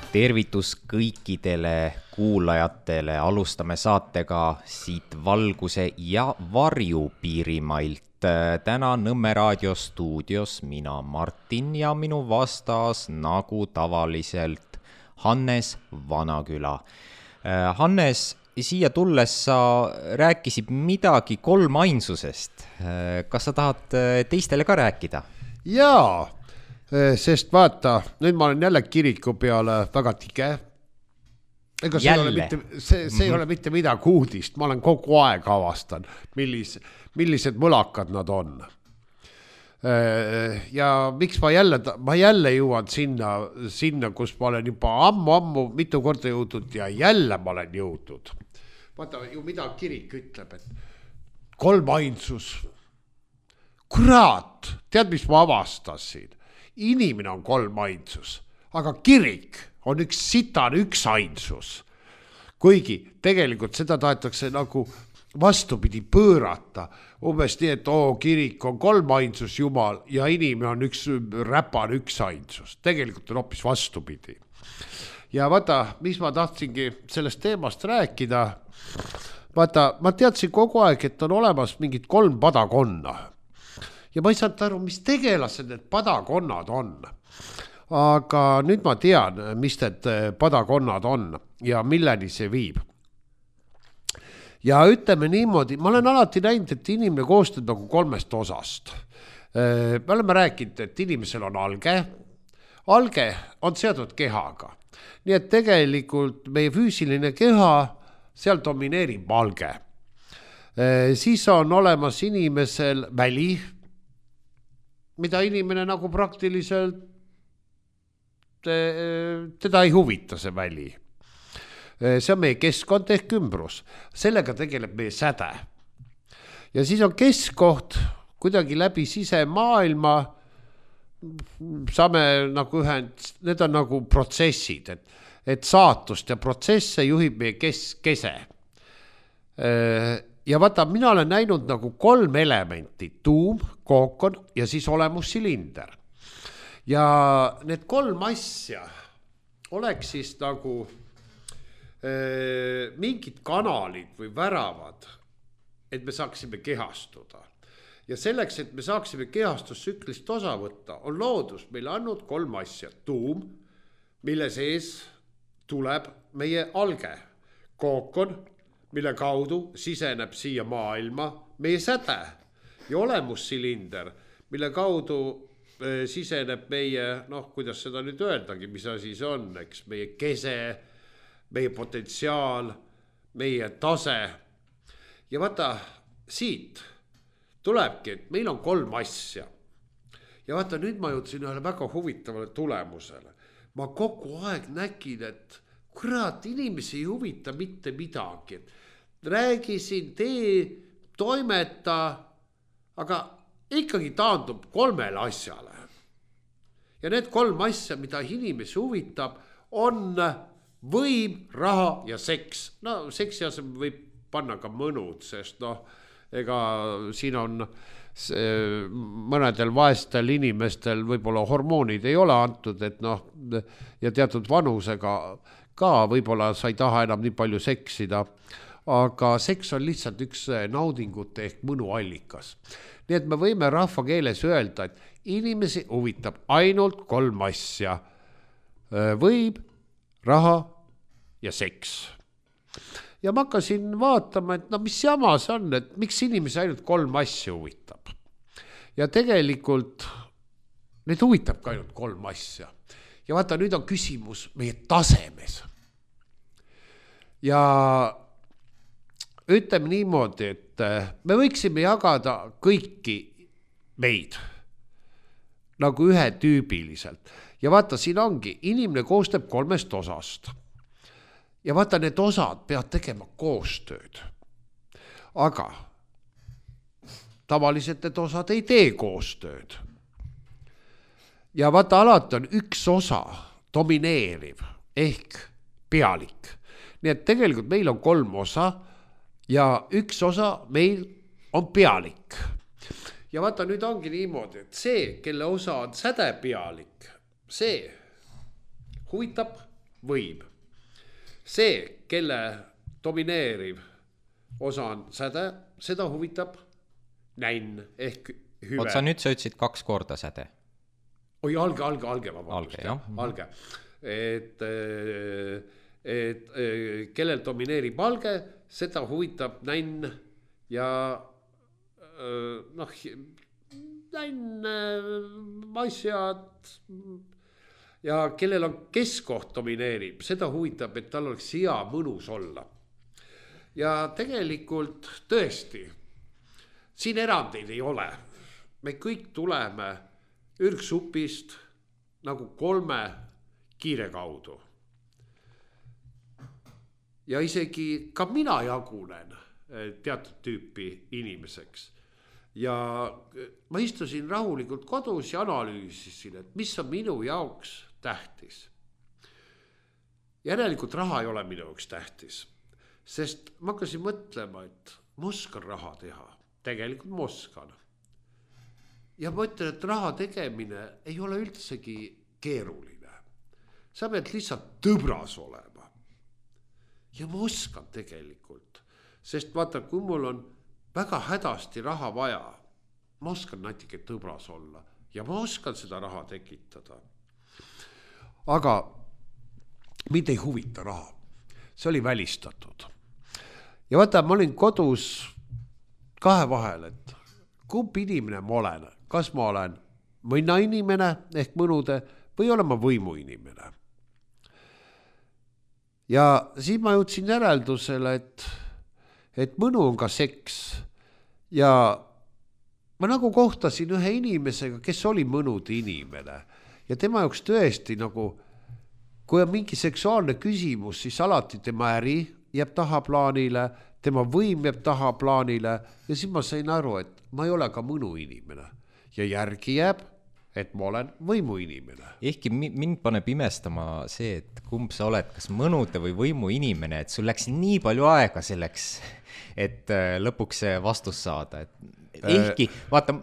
Tervitus kõikidele kuulajatele, alustame saatega siit valguse ja varju piirimailt. Täna Nõmme raadio stuudios mina Martin ja minu vastas nagu tavaliselt Hannes Vanaküla. Hannes, siia tulles sa rääkisid midagi kolmainsusest. Kas sa tahad teistele ka rääkida? Jaa, sest vaata, nüüd ma olen jälle kiriku peale väga tige. Ega see ei ole mitte midagi uudist, ma olen kogu aeg avastan, millised mõlakad nad on. Ja miks ma jälle jõuan sinna, kus ma olen juba ammu mitu korda jõudnud ja jälle ma olen jõudnud. Vaata ju mida kirik ütleb, et kolmainsus. Kurat, tead mis ma avastasin? Inimene on kolmainsus, aga kirik on üks ainsus. Kuigi tegelikult seda tahetakse nagu vastupidi pöörata. Umbes nii, et kirik on kolmainsus Jumal ja inimene on üks ainsus. Tegelikult on hoopis vastupidi. Ja vaata, mis ma tahtsingi sellest teemast rääkida. Vaata, ma teadsin kogu aeg, et on olemas mingid 3 padakonna. Ja ma ei saanud aru, mis tegelased need padakonnad on. Aga nüüd ma tean, mis need padakonnad on ja milleni see viib. Ja ütleme niimoodi, ma olen alati näinud, et inimene koostab nagu 3 osast. Me oleme rääkinud, et inimesel on alge. Alge on seotud kehaga. Nii et tegelikult meie füüsiline keha, seal domineerib alge. Siis on olemas inimesel väli, mida inimene nagu praktiliselt teda ei huvita see väli. See on meie keskkond ehk ümbrus. Sellega tegeleb meie säde. Ja siis on keskkoht kuidagi läbi sisemaailma saame nagu need on nagu protsessid, et saatust ja protsesse juhib meie kese. Ja vaata, mina olen näinud nagu 3 elementi, tuum, kookon ja siis olemussilinder. Ja need 3 asja oleks siis nagu mingid kanalid või väravad, et me saaksime kehastuda. Ja selleks, et me saaksime kehastustsüklist osa võtta, on loodus meile andnud 3 asja. Tuum, mille sees tuleb meie alge, kookon, mille kaudu siseneb siia maailma meie säde ja olemussilinder, mille kaudu siseneb meie, kuidas seda nüüd öeldagi, mis asi see on, eks, meie kese, meie potentsiaal, meie tase. Ja vaata, siit tulebki, et meil on 3 asja. Ja vaata, nüüd ma jõudsin ühele väga huvitavale tulemusele. Ma kogu aeg nägin, et kurat, inimesi ei huvita mitte midagi. Räägisin, toimeta, aga ikkagi taandub 3 asjale. Ja need 3 asja, mida inimesi huvitab, on võim, raha ja seks. No seksi asemel võib panna ka mõnud, sest ega siin on mõnedel vaestel inimestel võib-olla hormoonid ei ole antud, et ja teatud vanusega ka võib-olla sa ei taha enam nii palju seksida, aga seks on lihtsalt üks naudingute ehk mõnuallikas. Nii et me võime rahva keeles öelda, et inimesi huvitab ainult 3 asja. Võim, raha ja seks. Ja ma hakkasin vaatama, et mis jama see on, et miks inimesi ainult 3 asja huvitab. Ja tegelikult need huvitab ka ainult 3 asja. Ja vaata, nüüd on küsimus meie tasemes. Ja ütleme niimoodi, et me võiksime jagada kõiki meid nagu ühetüübiliselt. Ja vaata, siin ongi, inimene koostab 3 osast. Ja vaata, need osad peavad tegema koostööd. Aga tavaliselt need osad ei tee koostööd. Ja vaata, alati on üks osa domineeriv ehk pealik. Nii et tegelikult meil on 3 osa ja üks osa meil on pealik. Ja vaata, nüüd ongi niimoodi, et see, kelle osa on sädepealik, see huvitab võim. See, kelle domineeriv osa on säde, seda huvitab nänn ehk hüve. Oot, sa ütlesid 2 korda säde. Oi, alge, vabandust. Alge. Et kellel domineerib alge, seda huvitab nänn ja nänn, asjad ja kellel on keskkoht domineerib, seda huvitab, et tal oleks hea mõnus olla. Ja tegelikult tõesti, siin erandeid ei ole. Me kõik tuleme ürgsupist nagu 3 kiire kaudu. Ja isegi ka mina jagunen teatud tüüpi inimeseks. Ja ma istusin rahulikult kodus ja analüüsisin, et mis on minu jaoks tähtis. Järelikult raha ei ole minu jaoks tähtis. Sest ma hakkasin mõtlema, et ma oskan raha teha. Tegelikult ma oskan. Ja ma ütlen, et raha tegemine ei ole üldsegi keeruline. Sa pead lihtsalt tõbras olema. Ja ma oskan tegelikult. Sest vaata, kui mul on väga hädasti raha vaja, ma oskan natuke tõbras olla. Ja ma oskan seda raha tekitada. Aga mind ei huvita raha. See oli välistatud. Ja vaata, ma olin kodus 2 vahel, et kumb inimene ma olen. Kas ma olen mõna inimene ehk mõnude või olen ma võimu inimene. Ja siis ma jõudsin järeldusele, et mõnu on ka seks. Ja ma nagu kohtasin ühe inimesega, kes oli mõnude inimene. Ja tema jaoks tõesti nagu, kui on mingi seksuaalne küsimus, siis alati tema äri jääb tahaplaanile, tema võim jääb tahaplaanile ja siis ma sain aru, et ma ei ole ka mõnu inimene ja järgi jääb, et ma olen võimu inimene. Ehkki mind paneb imestama see, et kumb sa oled, kas mõnude või võimu inimene, et sul läks nii palju aega selleks, et lõpuks see vastus saada. Ehkki, vaata,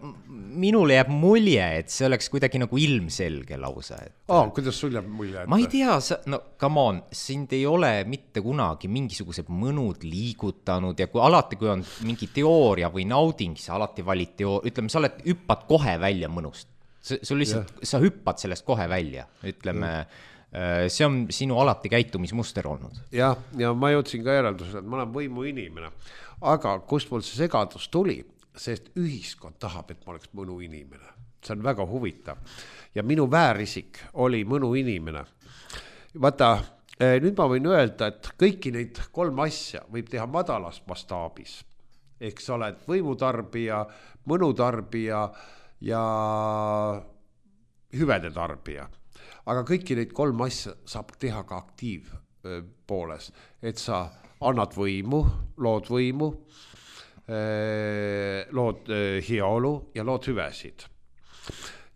minule jääb mulje, et see oleks kuidagi nagu ilmselge lausa. Kuidas sul jääb mulje? Ma ei tea, come on, sind ei ole mitte kunagi mingisugused mõnud liigutanud ja alati, kui on mingi teooria või nauding, sa alati valid teooria, ütleme, sa hüppad kohe välja mõnust. Sul lihtsalt, sa hüppad sellest kohe välja, ütleme, see on sinu alati käitumismuster olnud. Ja ma jõudsin ka järeldusele, et ma olen võimu inimene, aga kust mul see segadus tuli? Sest ühiskond tahab, et ma oleks mõnu inimene. See on väga huvitav. Ja minu väärisik oli mõnu inimene. Vaata, nüüd ma võin öelda, et kõiki neid 3 asja võib teha madalas mastaabis. Ehk sa oled võimutarbija, mõnutarbija ja hüvede tarbija. Aga kõiki neid 3 asja saab teha ka aktiivpooles. Et sa annad võimu, lood võimu, lood heaolu ja lood hüvesid.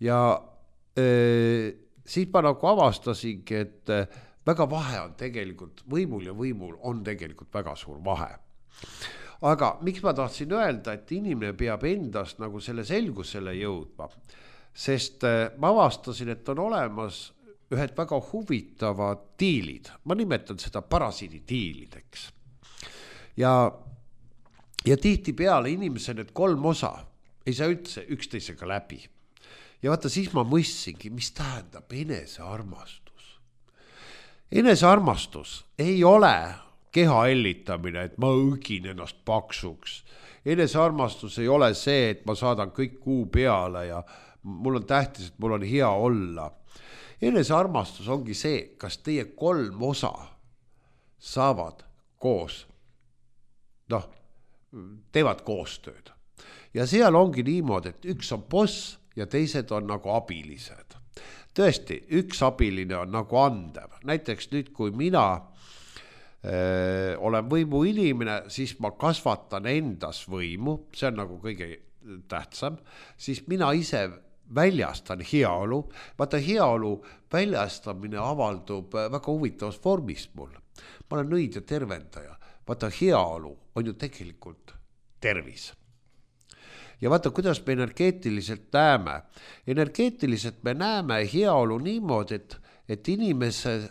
Ja siis ma nagu avastasingi, et väga vahe on tegelikult, võimul ja võimul on tegelikult väga suur vahe. Aga miks ma tahtsin öelda, et inimene peab endast nagu selle selgusele jõudma, sest ma avastasin, et on olemas ühed väga huvitavad diilid. Ma nimetan seda parasiidi diilideks. Ja tihti peale inimese need 3 osa ei saa üldse üksteisega läbi. Ja vaata, siis ma mõistsingi, mis tähendab enesearmastus. Enesearmastus ei ole keha ellitamine, et ma õgin ennast paksuks. Enesearmastus ei ole see, et ma saadan kõik kuu peale ja mul on tähtis, et mul on hea olla. Enesearmastus ongi see, kas teie 3 osa saavad koos, teevad koostööd. Ja seal ongi niimoodi, et üks on boss ja teised on nagu abilised. Tõesti, üks abiline on nagu andev. Näiteks nüüd, kui mina olen võimu inimene, siis ma kasvatan endas võimu, see on nagu kõige tähtsam, siis mina ise väljastan heaolu. Vaata, heaolu väljastamine avaldub väga huvitavas vormis mul. Ma olen nõid ja tervendaja. Vaata, heaolu on ju tegelikult tervis. Ja vaata, kuidas me energeetiliselt näeme. Energeetiliselt me näeme heaolu niimoodi, et inimese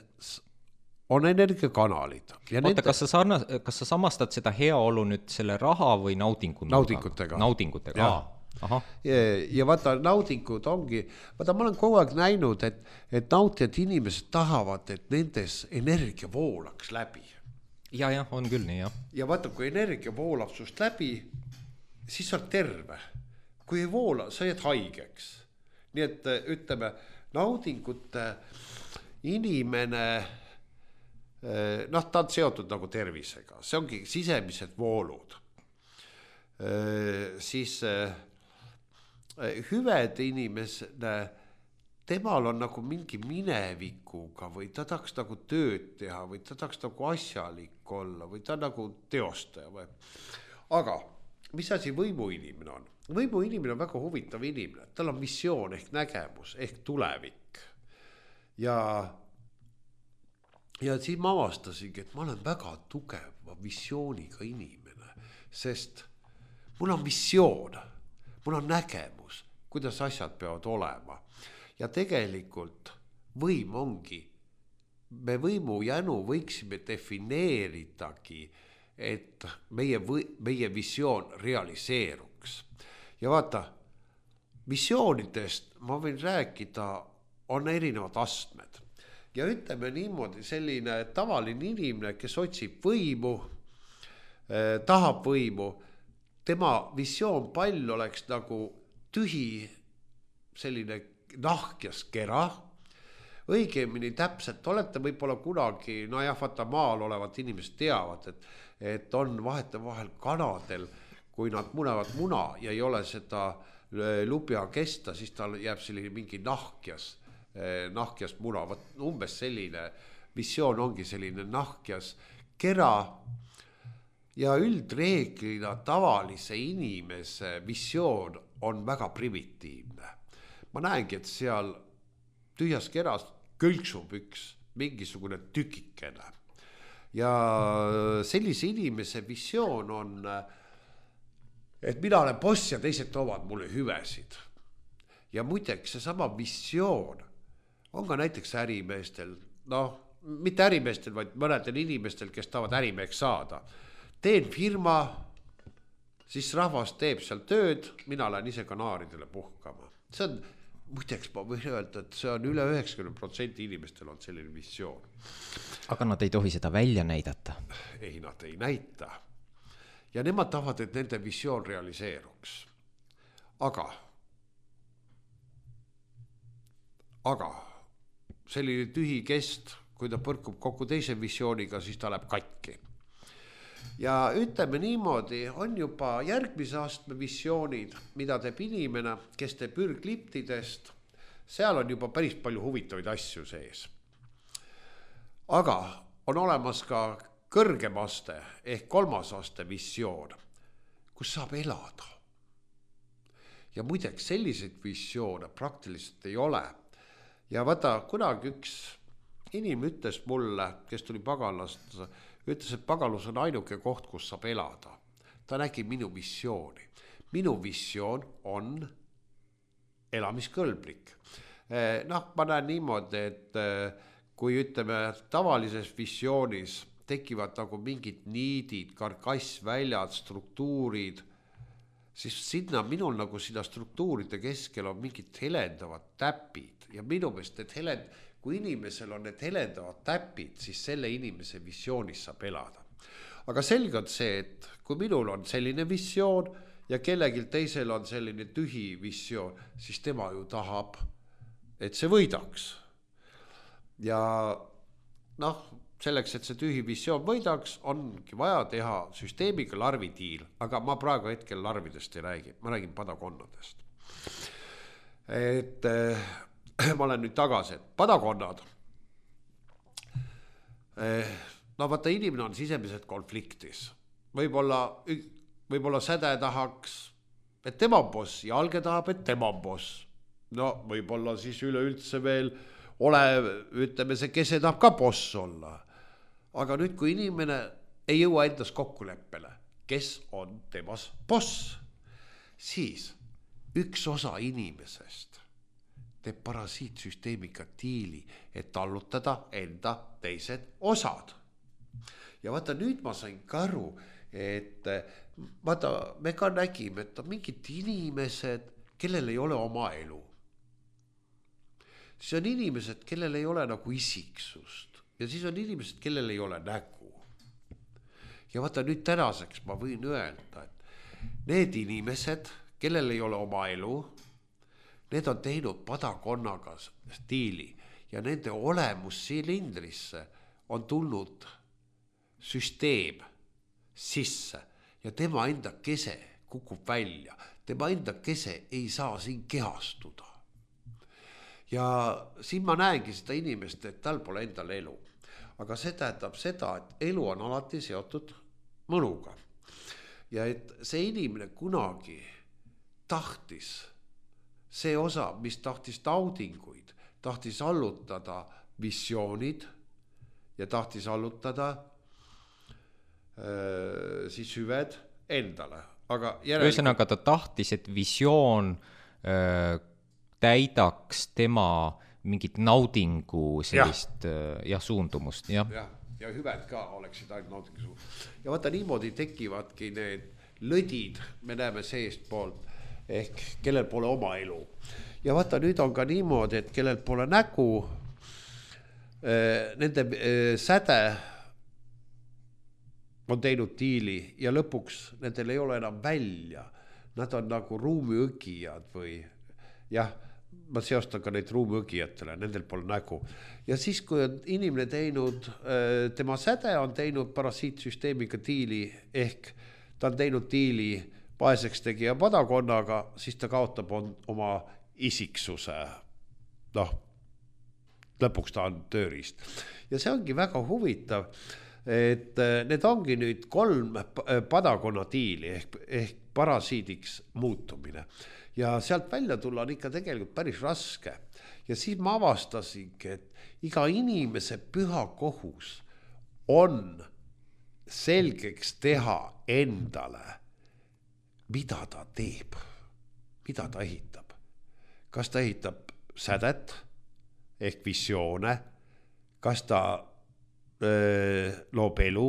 on energiakanalid. Oota, kas sa samastad seda heaolu nüüd selle raha või naudingutega? Naudingutega, ahah. Ja vaata, naudingud ongi, vaata, ma olen kogu aeg näinud, et nautijad inimesed tahavad, et nendes energia voolaks läbi. Ja, on küll nii, jah. Ja vaata, kui energia voolab sust läbi, siis on terve. Kui ei voola, sa jääd haigeks. Nii et ütleme, naudingute inimene, ta on seotud nagu tervisega, see ongi sisemised voolud. Siis hüved inimesele, temal on nagu mingi minevikuga või ta tahaks nagu tööd teha või ta tahaks nagu asjalik olla või ta nagu teostaja või. Aga mis asi võimuinimene on? Võimuinimene on väga huvitav inimene, tal on missioon ehk nägemus ehk tulevik. Ja siis ma avastasingi, et ma olen väga tugeva visiooniga inimene, sest mul on missioon, mul on nägemus, kuidas asjad peavad olema. Ja tegelikult võim ongi, me võimu jänu võiksime defineeritagi, et meie visioon realiseeruks. Ja vaata, visioonidest ma võin rääkida, on erinevad astmed. Ja ütleme niimoodi, selline tavaline inimene, kes otsib võimu, tahab võimu, tema visioon pall oleks nagu tühi selline nahkjas kera, õigemini täpselt, olete võib-olla kunagi, vaata maal olevad inimesed teavad, et on vahetevahel kanadel, kui nad munevad muna ja ei ole seda lubja kesta, siis tal jääb selline mingi nahkjas muna. Umbes selline visioon ongi selline nahkjas kera ja üldreeglina tavalise inimese visioon on väga primitiivne. Ma näengi, et seal tühjas keras kõlksub üks mingisugune tükikene. Ja sellise inimese visioon on, et mina olen boss ja teised toovad mulle hüvesid. Ja muideks see sama visioon on ka näiteks ärimeestel, mitte ärimeestel, vaid mõnedel inimestel, kes tahavad ärimeheks saada. Teen firma, siis rahvas teeb seal tööd, mina lähen ise kanaaridele puhkama. See on, muideks ma võin öelda, et see on üle 90% inimestel on selline visioon. Aga nad ei tohi seda välja näidata. Ei, nad ei näita. Ja nemad tahavad, et nende visioon realiseeruks. Aga selline tühi kest, kui ta põrkub kokku teise visiooniga, siis ta läheb katki. Ja ütleme niimoodi, on juba järgmise astme visioonid, mida teeb inimene, kes teeb ürgliptidest. Seal on juba päris palju huvitavaid asju sees. Aga on olemas ka kõrgem aste ehk 3. aste visioon, kus saab elada. Ja muideks selliseid visioone praktiliselt ei ole. Ja vaata, kunagi üks inimene ütles mulle, kes tuli Pagalast, ütles, et Pagalus on ainuke koht, kus saab elada. Ta nägi minu visiooni. Minu visioon on elamiskõlblik. Ma näen niimoodi, et kui ütleme tavalises visioonis tekivad nagu mingid niidid, karkassväljad, struktuurid, siis sinna minul nagu sinna struktuuride keskel on mingid helendavad täpid. Ja minu meelest, kui inimesel on need helendavad täpid, siis selle inimese visioonis saab elada. Aga selge on see, et kui minul on selline visioon ja kellelgi teisel on selline tühi visioon, siis tema ju tahab, et see võidaks. Ja selleks, et see tühi visioon võidaks, ongi vaja teha süsteemiga larvidiil, aga ma praegu hetkel larvidest ei räägi, ma räägin padakonnadest. Et ma olen nüüd tagasi, et padakonnad, vaata inimene on sisemiselt konfliktis. Võib-olla säde tahaks, et tema on boss ja alge tahab, et tema on boss. Võib-olla siis üleüldse veel ütleme see kese tahab ka boss olla. Aga nüüd, kui inimene ei jõua endas kokkuleppele, kes on temas boss, siis üks osa inimesest teeb parasiitsüsteemiga diili, et tallutada enda teised osad. Ja vaata nüüd ma sain ka aru, et vaata me ka nägime, et on mingid inimesed, kellel ei ole oma elu. Siis on inimesed, kellel ei ole nagu isiksust ja siis on inimesed, kellel ei ole nägu. Ja vaata nüüd tänaseks ma võin öelda, et need inimesed, kellel ei ole oma elu, need on teinud padakonnaga stiili ja nende olemus silindrisse on tulnud süsteem sisse ja tema enda kese kukub välja. Tema enda kese ei saa siin kehastuda. Ja siin ma näengi seda inimest, et tal pole endal elu. Aga see tähendab seda, et elu on alati seotud mõnuga. Ja et see inimene kunagi tahtis see osa, mis tahtis naudinguid, tahtis allutada visioonid ja tahtis allutada siis hüved endale. Aga ühesõnaga ta tahtis, et visioon täidaks tema mingit naudingu sellist suundumust. Ja hüved ka oleksid ainult naudingu. Ja vaata niimoodi tekivadki need lõdid, me näeme seest poolt, ehk kellel pole oma elu. Ja vaata nüüd on ka niimoodi, et kellel pole nägu, nende säde on teinud diili ja lõpuks nendel ei ole enam välja. Nad on nagu ruumiõgijad või ma seostan ka neid ruumiõgijatele, nendel pole nägu. Ja siis, kui on inimene teinud, tema säde on teinud parasiitsüsteemiga diili, ehk ta on teinud diili vaeseks tegija padakonnaga, siis ta kaotab oma isiksuse. Lõpuks ta on tööriist. Ja see ongi väga huvitav, et need ongi nüüd 3 padakonna diili ehk parasiidiks muutumine. Ja sealt välja tulla on ikka tegelikult päris raske. Ja siis ma avastasingi, et iga inimese püha kohus on selgeks teha endale, mida ta teeb, mida ta ehitab. Kas ta ehitab sädet ehk visioone, kas ta loob elu,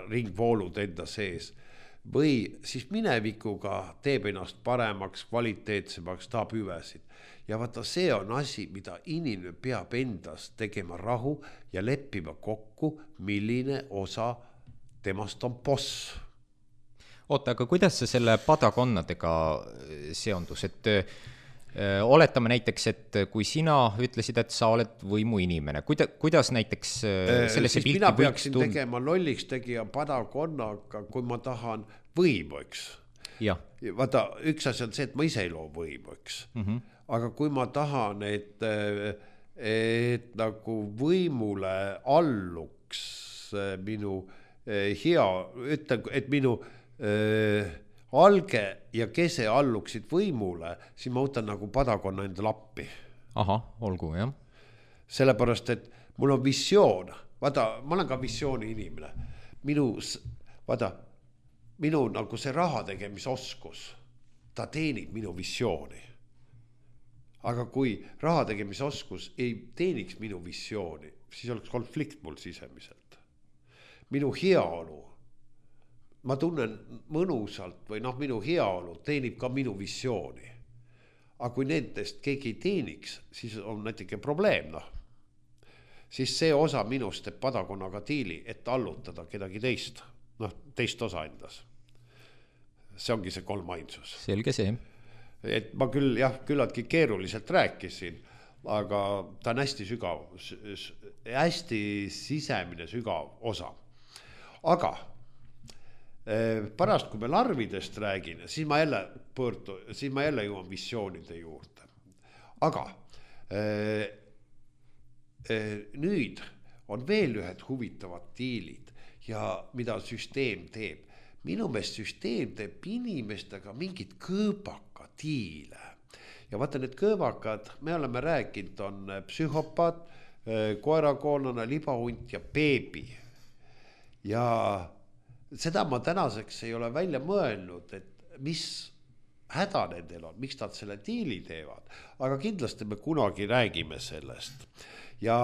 ringvoolud enda sees, või siis minevikuga teeb ennast paremaks, kvaliteetsemaks, tahab hüvesid. Ja vaata, see on asi, mida inimene peab endas tegema rahu ja leppima kokku, milline osa temast on boss. Oota, aga kuidas see selle padakonnadega seondus, et oletame näiteks, et kui sina ütlesid, et sa oled võimu inimene, kuidas näiteks sellesse pilti mina peaksin tegema lolliks tegija padakonnaga, kui ma tahan võimu, eks. Vaata, üks asi on see, et ma ise ei loo võimu, eks. Aga kui ma tahan, et nagu võimule alluks minu et minu alge ja kese alluksid võimule, siis ma võtan nagu padakonna enda lappi. Aha, olgu, jah. Sellepärast, et mul on visioon. Vaata, ma olen ka visiooni inimene. Minu nagu see raha tegemisoskus, ta teenib minu visiooni. Aga kui raha tegemisoskus ei teeniks minu visiooni, siis oleks konflikt mul sisemiselt. Minu heaolu, ma tunnen mõnusalt või minu heaolu teenib ka minu visiooni. Aga kui nendest keegi ei teeniks, siis on näiteks probleem. Siis see osa minust teeb padakonnaga diili, et allutada kedagi teist, teist osa endas. See ongi see 3 ainsus. Selge see. Et ma küll, küllaltki keeruliselt rääkisin, aga ta on hästi sügav, hästi sisemine sügav osa. Aga pärast, kui me larvidest räägin, siis ma jälle jõuan visioonide juurde. Aga nüüd on veel ühed huvitavad diilid ja mida süsteem teeb. Minu meelest süsteem teeb inimestega mingid kõõbaka diile. Ja vaata, need kõõbakad, me oleme rääkinud, on psühhopaat, koerakoonlane, libahunt ja beebi. Ja seda ma tänaseks ei ole välja mõelnud, et mis häda nendel on, miks nad selle diili teevad, aga kindlasti me kunagi räägime sellest ja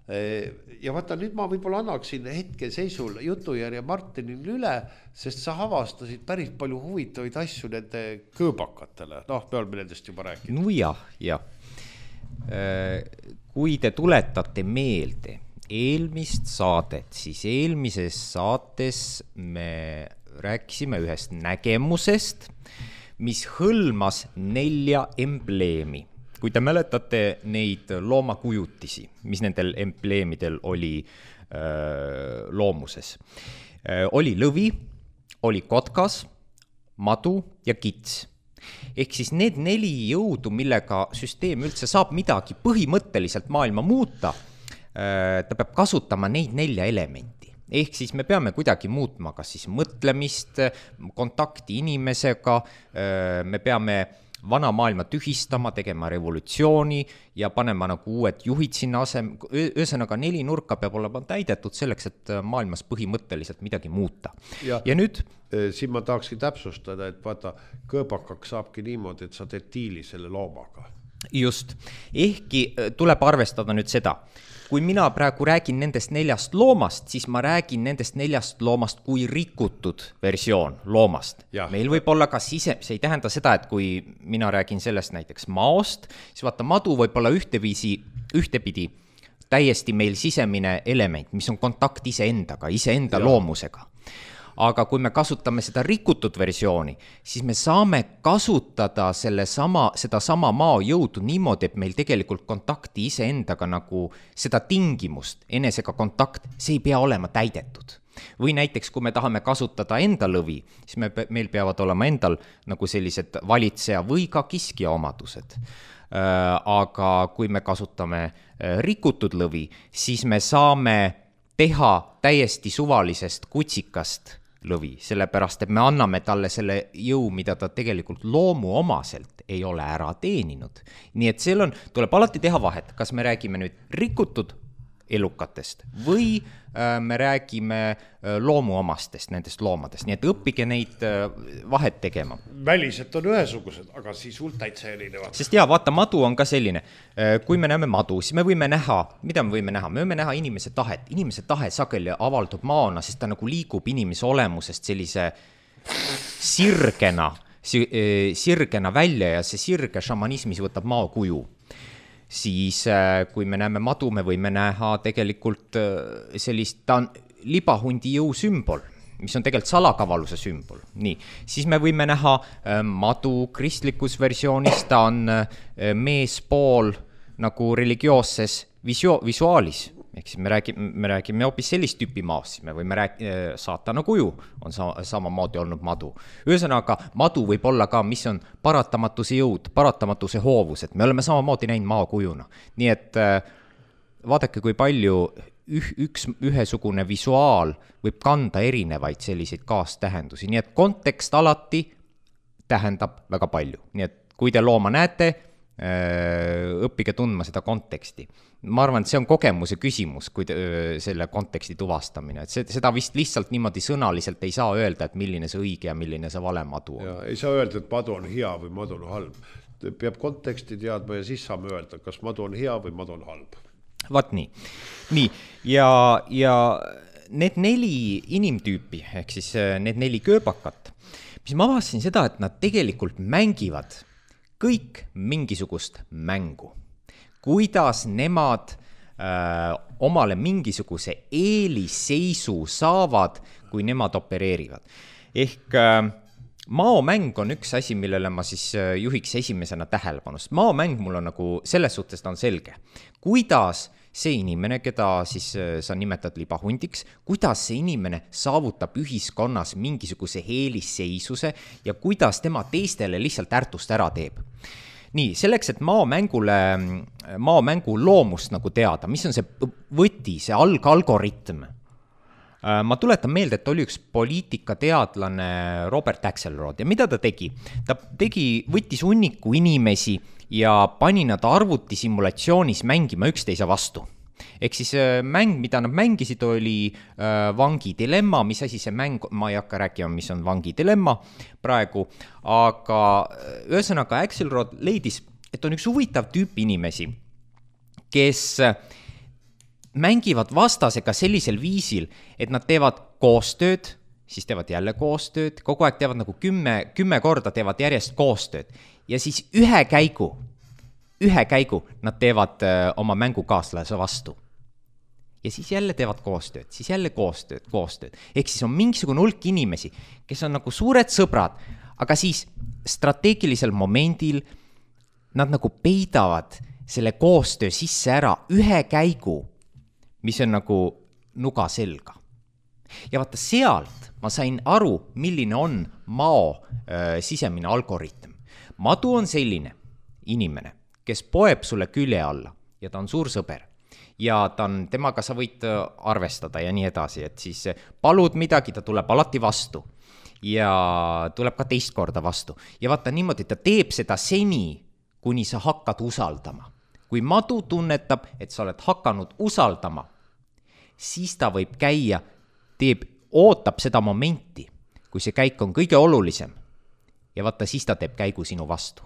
vaata nüüd ma võib-olla annaksin hetkeseisul jutujärje Martinile üle, sest sa avastasid päris palju huvitavaid asju nende kõõbakatele, noh, me oleme nendest juba rääkinud. No jah. Kui te tuletate meelde eelmist saadet, siis eelmises saates me rääkisime ühest nägemusest, mis hõlmas 4 embleemi. Kui te mäletate neid loomakujutisi, mis nendel embleemidel oli loomuses. Oli lõvi, oli kotkas, madu ja kits. Ehk siis need 4 jõudu, millega süsteem üldse saab midagi põhimõtteliselt maailma muuta, ta peab kasutama neid 4 elementi. Ehk siis me peame kuidagi muutma kas siis mõtlemist, kontakti inimesega, me peame vana maailma tühistama, tegema revolutsiooni ja panema nagu uued juhid sinna ühesõnaga 4 nurka peab olema täidetud selleks, et maailmas põhimõtteliselt midagi muuta. Ja nüüd siin ma tahaksin täpsustada, et vaata, kõõbakaks saabki niimoodi, et sa teed diili selle loomaga. Just, ehkki tuleb arvestada nüüd seda, kui mina praegu räägin nendest 4 loomast, siis ma räägin nendest 4 loomast kui rikutud versioon loomast. Meil võib olla ka see ei tähenda seda, et kui mina räägin sellest näiteks maost, siis vaata, madu võib olla ühtepidi täiesti meil sisemine element, mis on kontakt iseendaga, iseenda loomusega. Aga kui me kasutame seda rikutud versiooni, siis me saame kasutada seda sama mao jõudu niimoodi, et meil tegelikult kontakti iseendaga nagu seda tingimust, enesega kontakt, see ei pea olema täidetud. Või näiteks, kui me tahame kasutada enda lõvi, siis meil peavad olema endal nagu sellised valitseja või ka kiskja omadused. Aga kui me kasutame rikutud lõvi, siis me saame teha täiesti suvalisest kutsikast lõvi, sellepärast, et me anname talle selle jõu, mida ta tegelikult loomuomaselt ei ole ära teeninud. Nii et tuleb alati teha vahet, kas me räägime nüüd rikutud elukatest või me räägime loomuomastest, nendest loomadest. Nii et õppige neid vahet tegema. Väliselt on ühesugused, aga sisult täitsa erinevad. Sest vaata, madu on ka selline. Kui me näeme madu, siis me võime näha, mida me võime näha? Me võime näha inimese tahet. Inimese tahe sageli avaldub maona, sest ta nagu liigub inimese olemusest sellise sirgena välja ja see sirge šamanismis võtab mao kuju. Siis kui me näeme madu, me võime näha tegelikult sellist, ta on libahundi jõu sümbol, mis on tegelikult salakavaluse sümbol. Nii, siis me võime näha madu kristlikus versioonis, ta on meespool nagu religioosses visuaalis. Ehk siis me räägime hoopis sellist tüüpi maast, siis me võime saatana kuju on samamoodi olnud madu. Ühesõnaga, madu võib olla ka, mis on paratamatuse jõud, paratamatuse hoovus, et me oleme samamoodi näinud maa kujuna. Nii et vaadake, kui palju ühesugune visuaal võib kanda erinevaid selliseid kaastähendusi. Nii et kontekst alati tähendab väga palju. Nii et kui te looma näete, õppige tundma seda konteksti. Ma arvan, et see on kogemuse küsimus, kui selle konteksti tuvastamine. Et seda vist lihtsalt niimoodi sõnaliselt ei saa öelda, et milline see õige ja milline see vale madu on. Ja, ei saa öelda, et madu on hea või madu on halb. Peab konteksti teadma ja siis saame öelda, kas madu on hea või madu on halb. Vaat nii. Ja need 4 inimtüüpi, ehk siis need 4 kööbakat, mis ma avastasin seda, et nad tegelikult mängivad kõik mingisugust mängu. Kuidas nemad omale mingisuguse eelisseisu saavad, kui nemad opereerivad. Ehk maomäng on üks asi, millele ma siis juhiks esimesena tähelepanust. Maomäng mul on nagu, selles suhtes ta on selge. Kuidas see inimene, keda siis sa nimetad libahundiks, kuidas see inimene saavutab ühiskonnas mingisuguse eelisseisuse ja kuidas tema teistele lihtsalt ärtust ära teeb. Nii, selleks, et maomängu loomust nagu teada, mis on see võti, see algoritm. Ma tuletan meelde, et oli üks poliitikateadlane Robert Axelrod ja mida ta tegi? Ta võttis hunniku inimesi ja pani nad arvutisimulatsioonis mängima üksteise vastu. ehk siis mäng, mida nad mängisid, oli Vangi dilemma, mis asi see mäng, ma ei hakka rääkima, mis on Vangi dilemma praegu, aga ühesõnaga Axelrod leidis, et on üks huvitav tüüp inimesi, kes mängivad vastasega sellisel viisil, et nad teevad koostööd, siis teevad jälle koostööd, kogu aeg teevad nagu 10 korda teevad järjest koostööd ja siis ühe käigu nad teevad oma mängukaaslase vastu. Ja siis jälle teevad koostööd, siis jälle koostööd. Ehk siis on mingisugune hulk inimesi, kes on nagu suured sõbrad, aga siis strateegilisel momendil nad nagu peidavad selle koostöö sisse ära ühe käigu, mis on nagu nuga selga. Ja vaata sealt ma sain aru, milline on Mao sisemine algoritm. Madu on selline inimene, kes poeb sulle külje alla ja ta on suur sõber. Ja temaga sa võid arvestada ja nii edasi, et siis palud midagi, ta tuleb alati vastu ja tuleb ka teist korda vastu. Ja vaata niimoodi, ta teeb seda seni, kuni sa hakkad usaldama. Kui Madu tunnetab, et sa oled hakanud usaldama, siis ta võib käia, ootab seda momenti, kui see käik on kõige olulisem. Ja vaata, siis ta teeb käigu sinu vastu.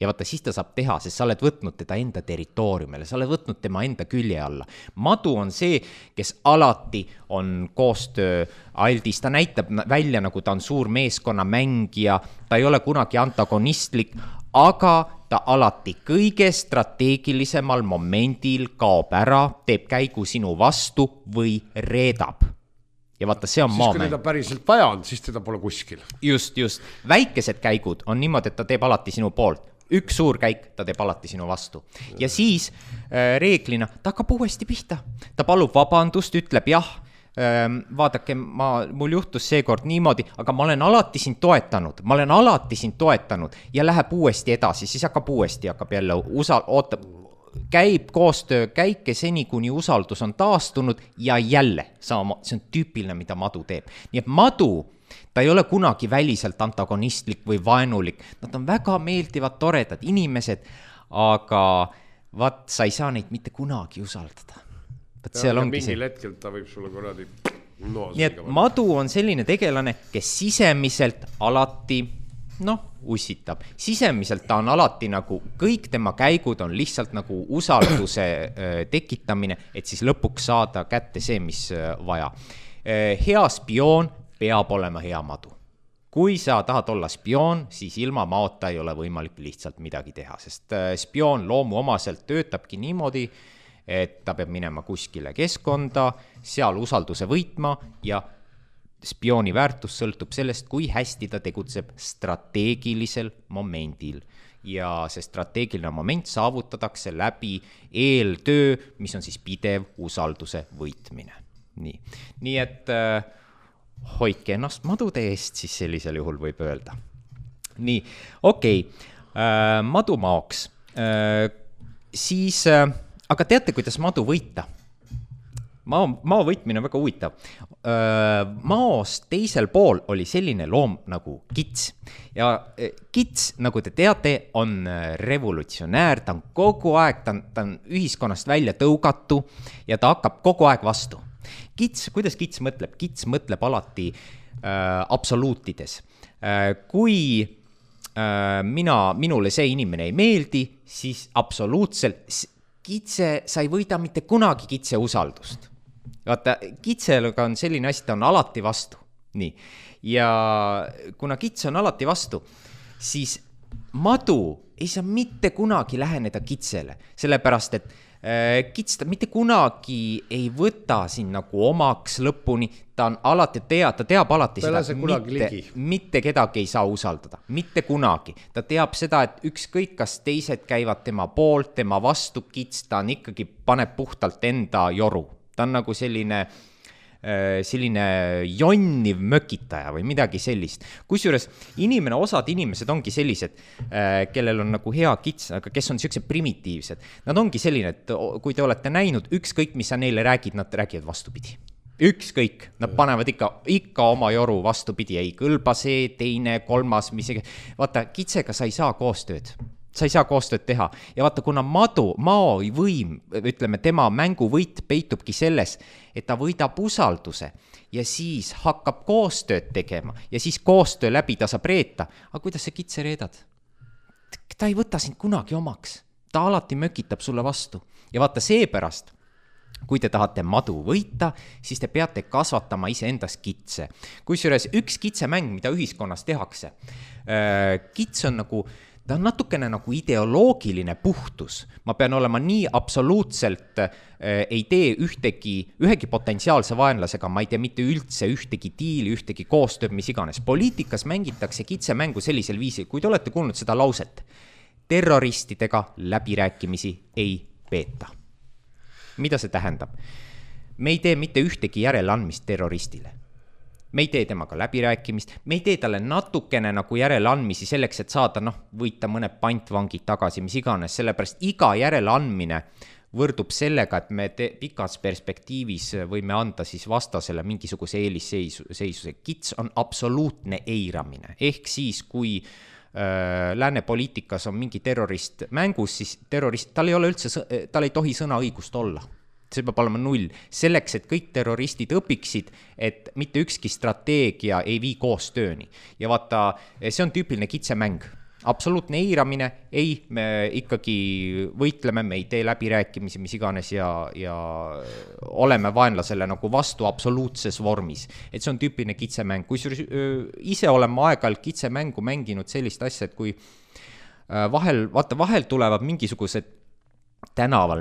Ja vaata, siis ta saab teha, sest sa oled võtnud teda enda territooriumile, sa oled võtnud tema enda külje alla. Madu on see, kes alati on koostöö aldis, ta näitab välja, nagu ta on suur meeskonna mängija, ta ei ole kunagi antagonistlik, aga ta alati kõige strateegilisemal momendil kaob ära, teeb käigu sinu vastu või reedab. Ja vaata, see on siis maamäng. Kui teda päriselt vaja on, siis teda pole kuskil. Just. Väikesed käigud on niimoodi, et ta teeb alati sinu poolt. Üks suur käik, ta teeb alati sinu vastu. Ja siis reeglina ta hakkab uuesti pihta. Ta palub vabandust, ütleb jah, vaadake, mul juhtus seekord niimoodi, aga ma olen alati sind toetanud ja läheb uuesti edasi, siis hakkab jälle käib koostöö käike seni, kuni usaldus on taastunud ja jälle see on tüüpiline, mida Madu teeb. Nii et Madu, ta ei ole kunagi väliselt antagonistlik või vaenulik, nad on väga meeldivad, toredad inimesed, aga sa ei saa neid mitte kunagi usaldada. Mingil hetkel ta võib sulle korradi nii et Madu on selline tegelane, kes sisemiselt alati ussitab. Sisemiselt ta on alati nagu, kõik tema käigud on lihtsalt nagu usalduse tekitamine, et siis lõpuks saada kätte see, mis vaja. Hea spioon peab olema hea Madu. Kui sa tahad olla spioon, siis ilma Maota ei ole võimalik lihtsalt midagi teha, sest spioon loomuomaselt töötabki niimoodi, et ta peab minema kuskile keskkonda, seal usalduse võitma ja spiooni väärtus sõltub sellest, kui hästi ta tegutseb strateegilisel momendil. Ja see strateegiline moment saavutatakse läbi eeltöö, mis on siis pidev usalduse võitmine. Nii et hoidke ennast Madude eest, siis sellisel juhul võib öelda. Nii, okei. Madu Maoks. Siis, aga teate, kuidas Madu võita? Mao võitmine on väga huvitav. Maost teisel pool oli selline loom nagu kits. Ja kits, nagu te teate, on revolutsionäär, ta on kogu aeg, ta on ühiskonnast välja tõugatu ja ta hakkab kogu aeg vastu. Kuidas kits mõtleb? Kits mõtleb alati absoluutides. Kui minule see inimene ei meeldi, siis absoluutselt sa ei võida mitte kunagi kitse usaldust. Vaata, kitseluga on selline asi, ta on alati vastu. Nii. Ja kuna kits on alati vastu, siis Madu ei saa mitte kunagi läheneda kitsele, sellepärast, et kits ta mitte kunagi ei võta siin nagu omaks lõpuni, ta teab alati seda, et mitte kedagi ei saa usaldada, mitte kunagi. Ta teab seda, et ükskõik kas teised käivad tema poolt, tema vastu, kits, ta on ikkagi paneb puhtalt enda joru. Ta on nagu selline jonniv mökitaja või midagi sellist. Kusjuures osad inimesed ongi sellised, kellel on nagu hea kits, aga kes on sellised primitiivsed. Nad ongi selline, et kui te olete näinud, ükskõik mis sa neile räägid, nad räägivad vastupidi. Ükskõik, nad panevad ikka oma joru vastupidi, ei kõlba see, teine, kolmas, vaata, kitsega sa ei saa koostööd. sa ei saa koostööd teha ja vaata, kuna Mao võim, ütleme, tema mänguvõit peitubki selles, et ta võidab usalduse ja siis hakkab koostööd tegema ja siis koostöö läbi ta saab reeta. Aga kuidas sa kitse reedad? Ta ei võta sind kunagi omaks, ta alati mökitab sulle vastu ja vaata seepärast, kui te tahate madu võita, siis te peate kasvatama iseendas kitse. Kusjuures üks kitsemäng, mida ühiskonnas tehakse, kits on nagu, ta on natukene nagu ideoloogiline puhtus. Ma pean olema nii absoluutselt, ei tee ühegi potentsiaalse vaenlasega, ma ei tee mitte üldse ühtegi diili, ühtegi koostööd, mis iganes. Poliitikas mängitakse kitsemängu sellisel viisil, kui te olete kuulnud seda lauset, terroristidega läbirääkimisi ei peeta. Mida see tähendab? Me ei tee mitte ühtegi järeleandmist terroristile. Me ei tee temaga läbirääkimist, me ei tee talle natukene nagu järeleandmisi selleks, et saada, võita mõned pantvangid tagasi, mis iganes, sellepärast iga järeleandmine võrdub sellega, et me pikas perspektiivis võime anda siis vastasele mingisuguse eelisseisuse. Kits on absoluutne eiramine, ehk siis kui lääne poliitikas on mingi terrorist mängus, siis tal ei tohi sõnaõigust olla. See peab olema 0. Selleks, et kõik terroristid õpiksid, et mitte ükski strateegia ei vii koostööni. Ja vaata, see on tüüpiline kitsemäng. Absoluutne eiramine, ei, me ikkagi võitleme, me ei tee läbirääkimisi, mis iganes ja oleme vaenlasele nagu vastu absoluutses vormis. Et see on tüüpiline kitsemäng. Kui ise oleme aeg-ajalt kitsemängu mänginud sellist asja, et kui vahel tulevad mingisugused tänaval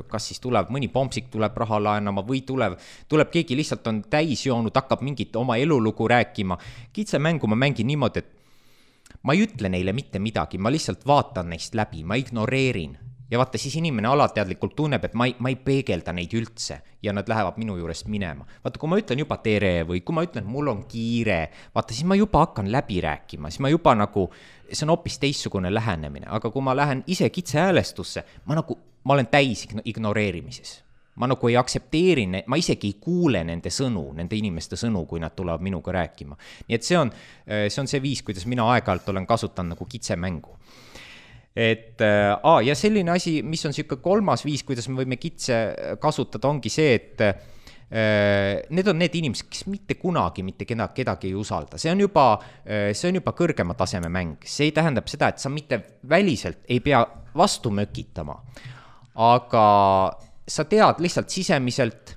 kas siis tuleb mõni pompsik tuleb raha laenama või tuleb keegi lihtsalt on täis joonud, hakkab mingit oma elulugu rääkima. Kitsemängu ma mängin niimoodi, et ma ei ütle neile mitte midagi, ma lihtsalt vaatan neist läbi, ma ignoreerin. Ja vaata, siis inimene alateadlikult tunneb, et ma ei peegelda neid üldse ja nad lähevad minu juurest minema. Vaata, kui ma ütlen juba tere või kui ma ütlen, et mul on kiire, vaata, siis ma juba hakkan läbi rääkima, siis ma juba nagu, see on hoopis teissugune lähenemine, aga kui ma lähen ise kitse häälestusse, ma olen täis ignoreerimises. Ma nagu ei aktsepteeri, ma isegi ei kuule nende sõnu, nende inimeste sõnu, kui nad tulevad minuga rääkima. Nii et see on see viis, kuidas mina aeg-ajalt olen kasutanud nagu kitsemängu. Ja selline asi, mis on siuke kolmas viis, kuidas me võime kitse kasutada, ongi see, et need on need inimesed, kes mitte kunagi mitte kedagi ei usalda. See on juba kõrgema taseme mäng. See ei tähendab seda, et sa mitte väliselt ei pea vastu mökitama, aga sa tead lihtsalt sisemiselt,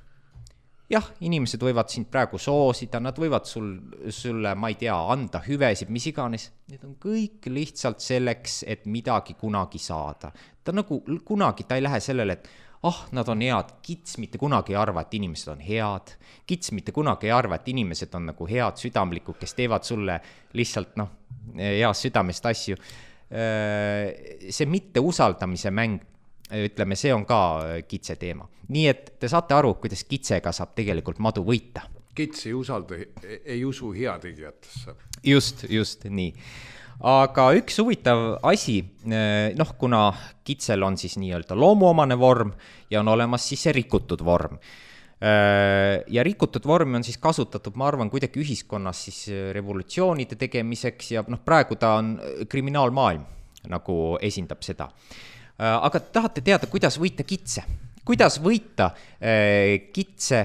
jah, inimesed võivad sind praegu soosida, nad võivad sulle, ma ei tea, anda hüvesid, mis iganes. Need on kõik lihtsalt selleks, et midagi kunagi saada. Ta nagu kunagi, ta ei lähe sellele, et nad on head. Kits mitte kunagi ei arva, et inimesed on head. Kits mitte kunagi ei arva, et inimesed on nagu head südamlikud, kes teevad sulle lihtsalt heast südamest asju. See mitte usaldamise mäng, ütleme, see on ka kitse teema. Nii et te saate aru, kuidas kitsega saab tegelikult madu võita. Kits ei usu heategijatesse. Just nii. Aga üks huvitav asi, kuna kitsel on siis nii-öelda loomuomane vorm ja on olemas siis see rikutud vorm. Ja rikutud vormi on siis kasutatud, ma arvan, kuidagi ühiskonnas siis revolutsioonide tegemiseks ja praegu ta on kriminaalmaailm, nagu esindab seda. Aga tahate teada, kuidas võita kitse? Kuidas võita kitse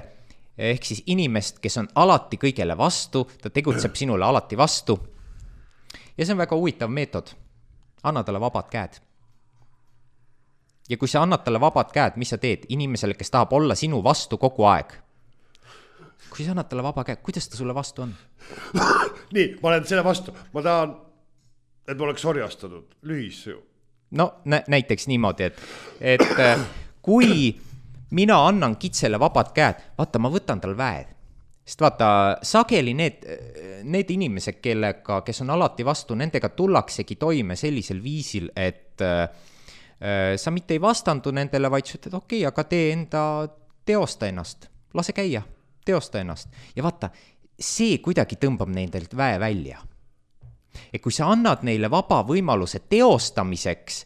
ehk siis inimest, kes on alati kõigele vastu, ta tegutseb sinule alati vastu. Ja see on väga huvitav meetod. Anna talle vabad käed. Ja kui sa annad talle vabad käed, mis sa teed inimesele, kes tahab olla sinu vastu kogu aeg? Kui sa annad talle vaba käed, kuidas ta sulle vastu on? Nii, ma olen selle vastu. Ma tahan, et ma oleks orjastatud. Lühis ju. Näiteks niimoodi, et kui mina annan kitsele vabad käed, vaata, ma võtan tal väed. Sest vaata, sageli need inimesed, kes on alati vastu, nendega tullaksegi toime sellisel viisil, et sa mitte ei vastandu nendele, vaid sa ütled, okei, aga teosta ennast, lase käia, teosta ennast. Ja vaata, see kuidagi tõmbab nendelt väe välja. Et kui sa annad neile vaba võimaluse teostamiseks,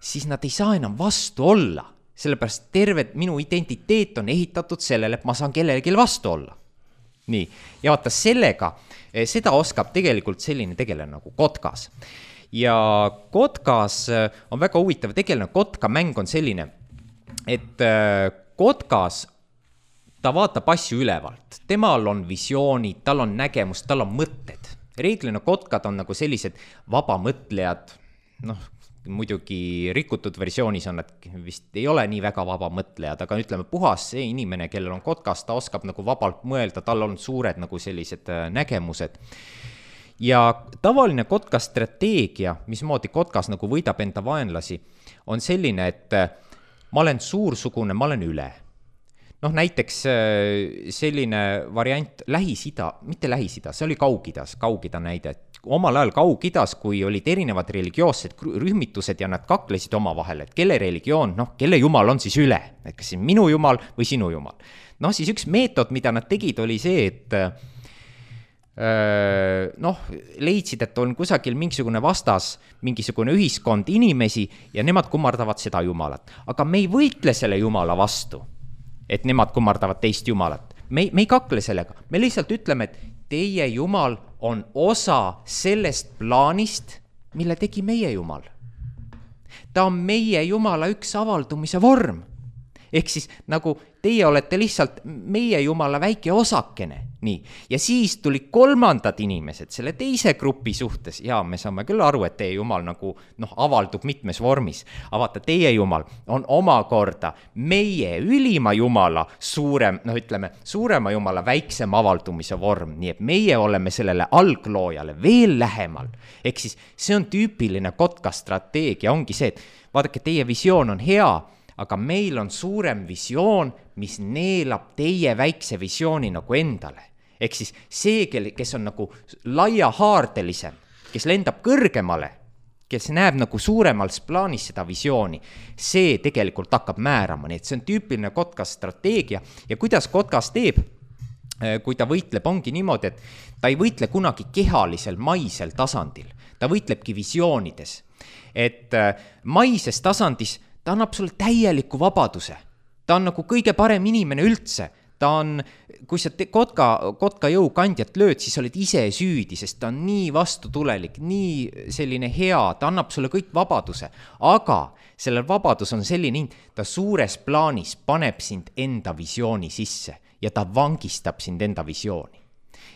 siis nad ei saa enam vastu olla. Sellepärast terve minu identiteet on ehitatud sellele, et ma saan kellelegi vastu olla. Nii, ja vaata sellega, seda oskab tegelikult selline tegelane nagu kotkas. ja kotkas on väga huvitav tegelane, kotkamäng on selline, et kotkas ta vaatab asju ülevalt, temal on visioonid, tal on nägemus, tal on mõtted. Reeglina kotkad on nagu sellised vabamõtlejad, noh, muidugi rikutud versioonis on, et vist ei ole nii väga vabamõtlejad, aga ütleme puhas see inimene, kellel on kotkas, ta oskab nagu vabalt mõelda, tal on suured nagu sellised nägemused. Ja tavaline kotka strateegia, mismoodi kotkas nagu võidab enda vaenlasi, on selline, et ma olen suursugune, ma olen üle. Noh, näiteks selline variant Lähis-Ida, mitte Lähis-Ida, see oli Kaug-Ida näide. Omal ajal Kaug-Idas, kui olid erinevad religioossed rühmitused ja nad kaklesid oma vahel, et kelle religioon, noh, kelle jumal on siis üle, et kas see minu jumal või sinu jumal. Noh, siis üks meetod, mida nad tegid, oli see, et noh, leidsid, et on kusagil mingisugune vastas, mingisugune ühiskond inimesi ja nemad kummardavad seda jumalat. Aga me ei võitle selle jumala vastu, et nemad kummardavad teist jumalat. Me ei kakle sellega, me lihtsalt ütleme, et teie jumal on osa sellest plaanist, mille tegi meie jumal. Ta on meie jumala üks avaldumise vorm. Ehk siis nagu teie olete lihtsalt meie jumala väike osakene. Nii. Ja siis tuli kolmandad inimesed selle teise grupi suhtes. Ja me saame küll aru, et teie jumal nagu avaldub mitmes vormis. Aga vaata, teie jumal on omakorda meie ülima jumala suurema jumala väiksem avaldumise vorm. Nii et meie oleme sellele algloojale veel lähemal. Ehk siis see on tüüpiline kotka strateegia. Ongi see, et vaadake, teie visioon on hea, aga meil on suurem visioon, mis neelab teie väikse visiooni nagu endale. Ehk siis see, kes on nagu laiahaardelisem, kes lendab kõrgemale, kes näeb nagu suuremals plaanis seda visiooni, see tegelikult hakkab määrama. Nii et see on tüüpiline kotkas strateegia ja kuidas kotkas teeb, kui ta võitleb, ongi niimoodi, et ta ei võitle kunagi kehalisel, maisel tasandil. Ta võitlebki visioonides. Et maises tasandis ta annab sulle täieliku vabaduse. Ta on nagu kõige parem inimene üldse. Ta on, kui sa kotka jõukandjat lööd, siis oled ise süüdi, sest ta on nii vastutulelik, nii selline hea, ta annab sulle kõik vabaduse. Aga sellel vabadus on selline, ta suures plaanis paneb sind enda visiooni sisse ja ta vangistab sind enda visiooni.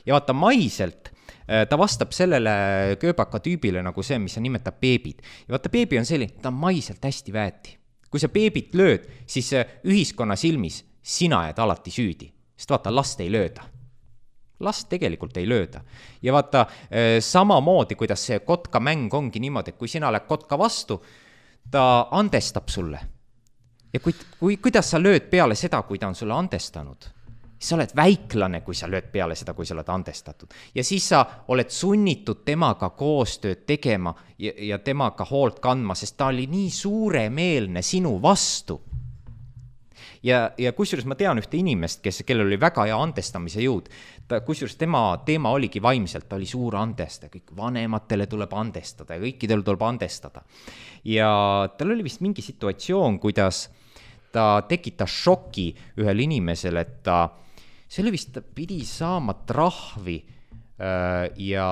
Ja vaata, maiselt ta vastab sellele kööbaka tüübile nagu see, mis sa nimetab beebid. Ja vaata, beebi on selline, ta on maiselt hästi väeti. Kui sa beebit lööd, siis ühiskonna silmis sina jääd alati süüdi. Sest vaata, last ei lööda. Last tegelikult ei lööda. Ja vaata, samamoodi, kuidas see kotka mäng ongi niimoodi, et kui sina lähed kotka vastu, ta andestab sulle. Ja kuidas sa lööd peale seda, kui ta on sulle andestanud? Sa oled väiklane, kui sa lööd peale seda, kui sa oled andestatud. Ja siis sa oled sunnitud temaga koostööd tegema ja temaga hoolt kandma, sest ta oli nii suuremeelne sinu vastu. Ja kusjuures ma tean ühte inimest, kellel oli väga hea andestamise jõud. Kusjuures tema teema oligi vaimselt, ta oli suur andesta. Kõik vanematele tuleb andestada ja kõikidel tuleb andestada. Ja tal oli vist mingi situatsioon, kuidas ta tekitas šoki ühel inimesel, et see oli vist, ta pidi saama trahvi ja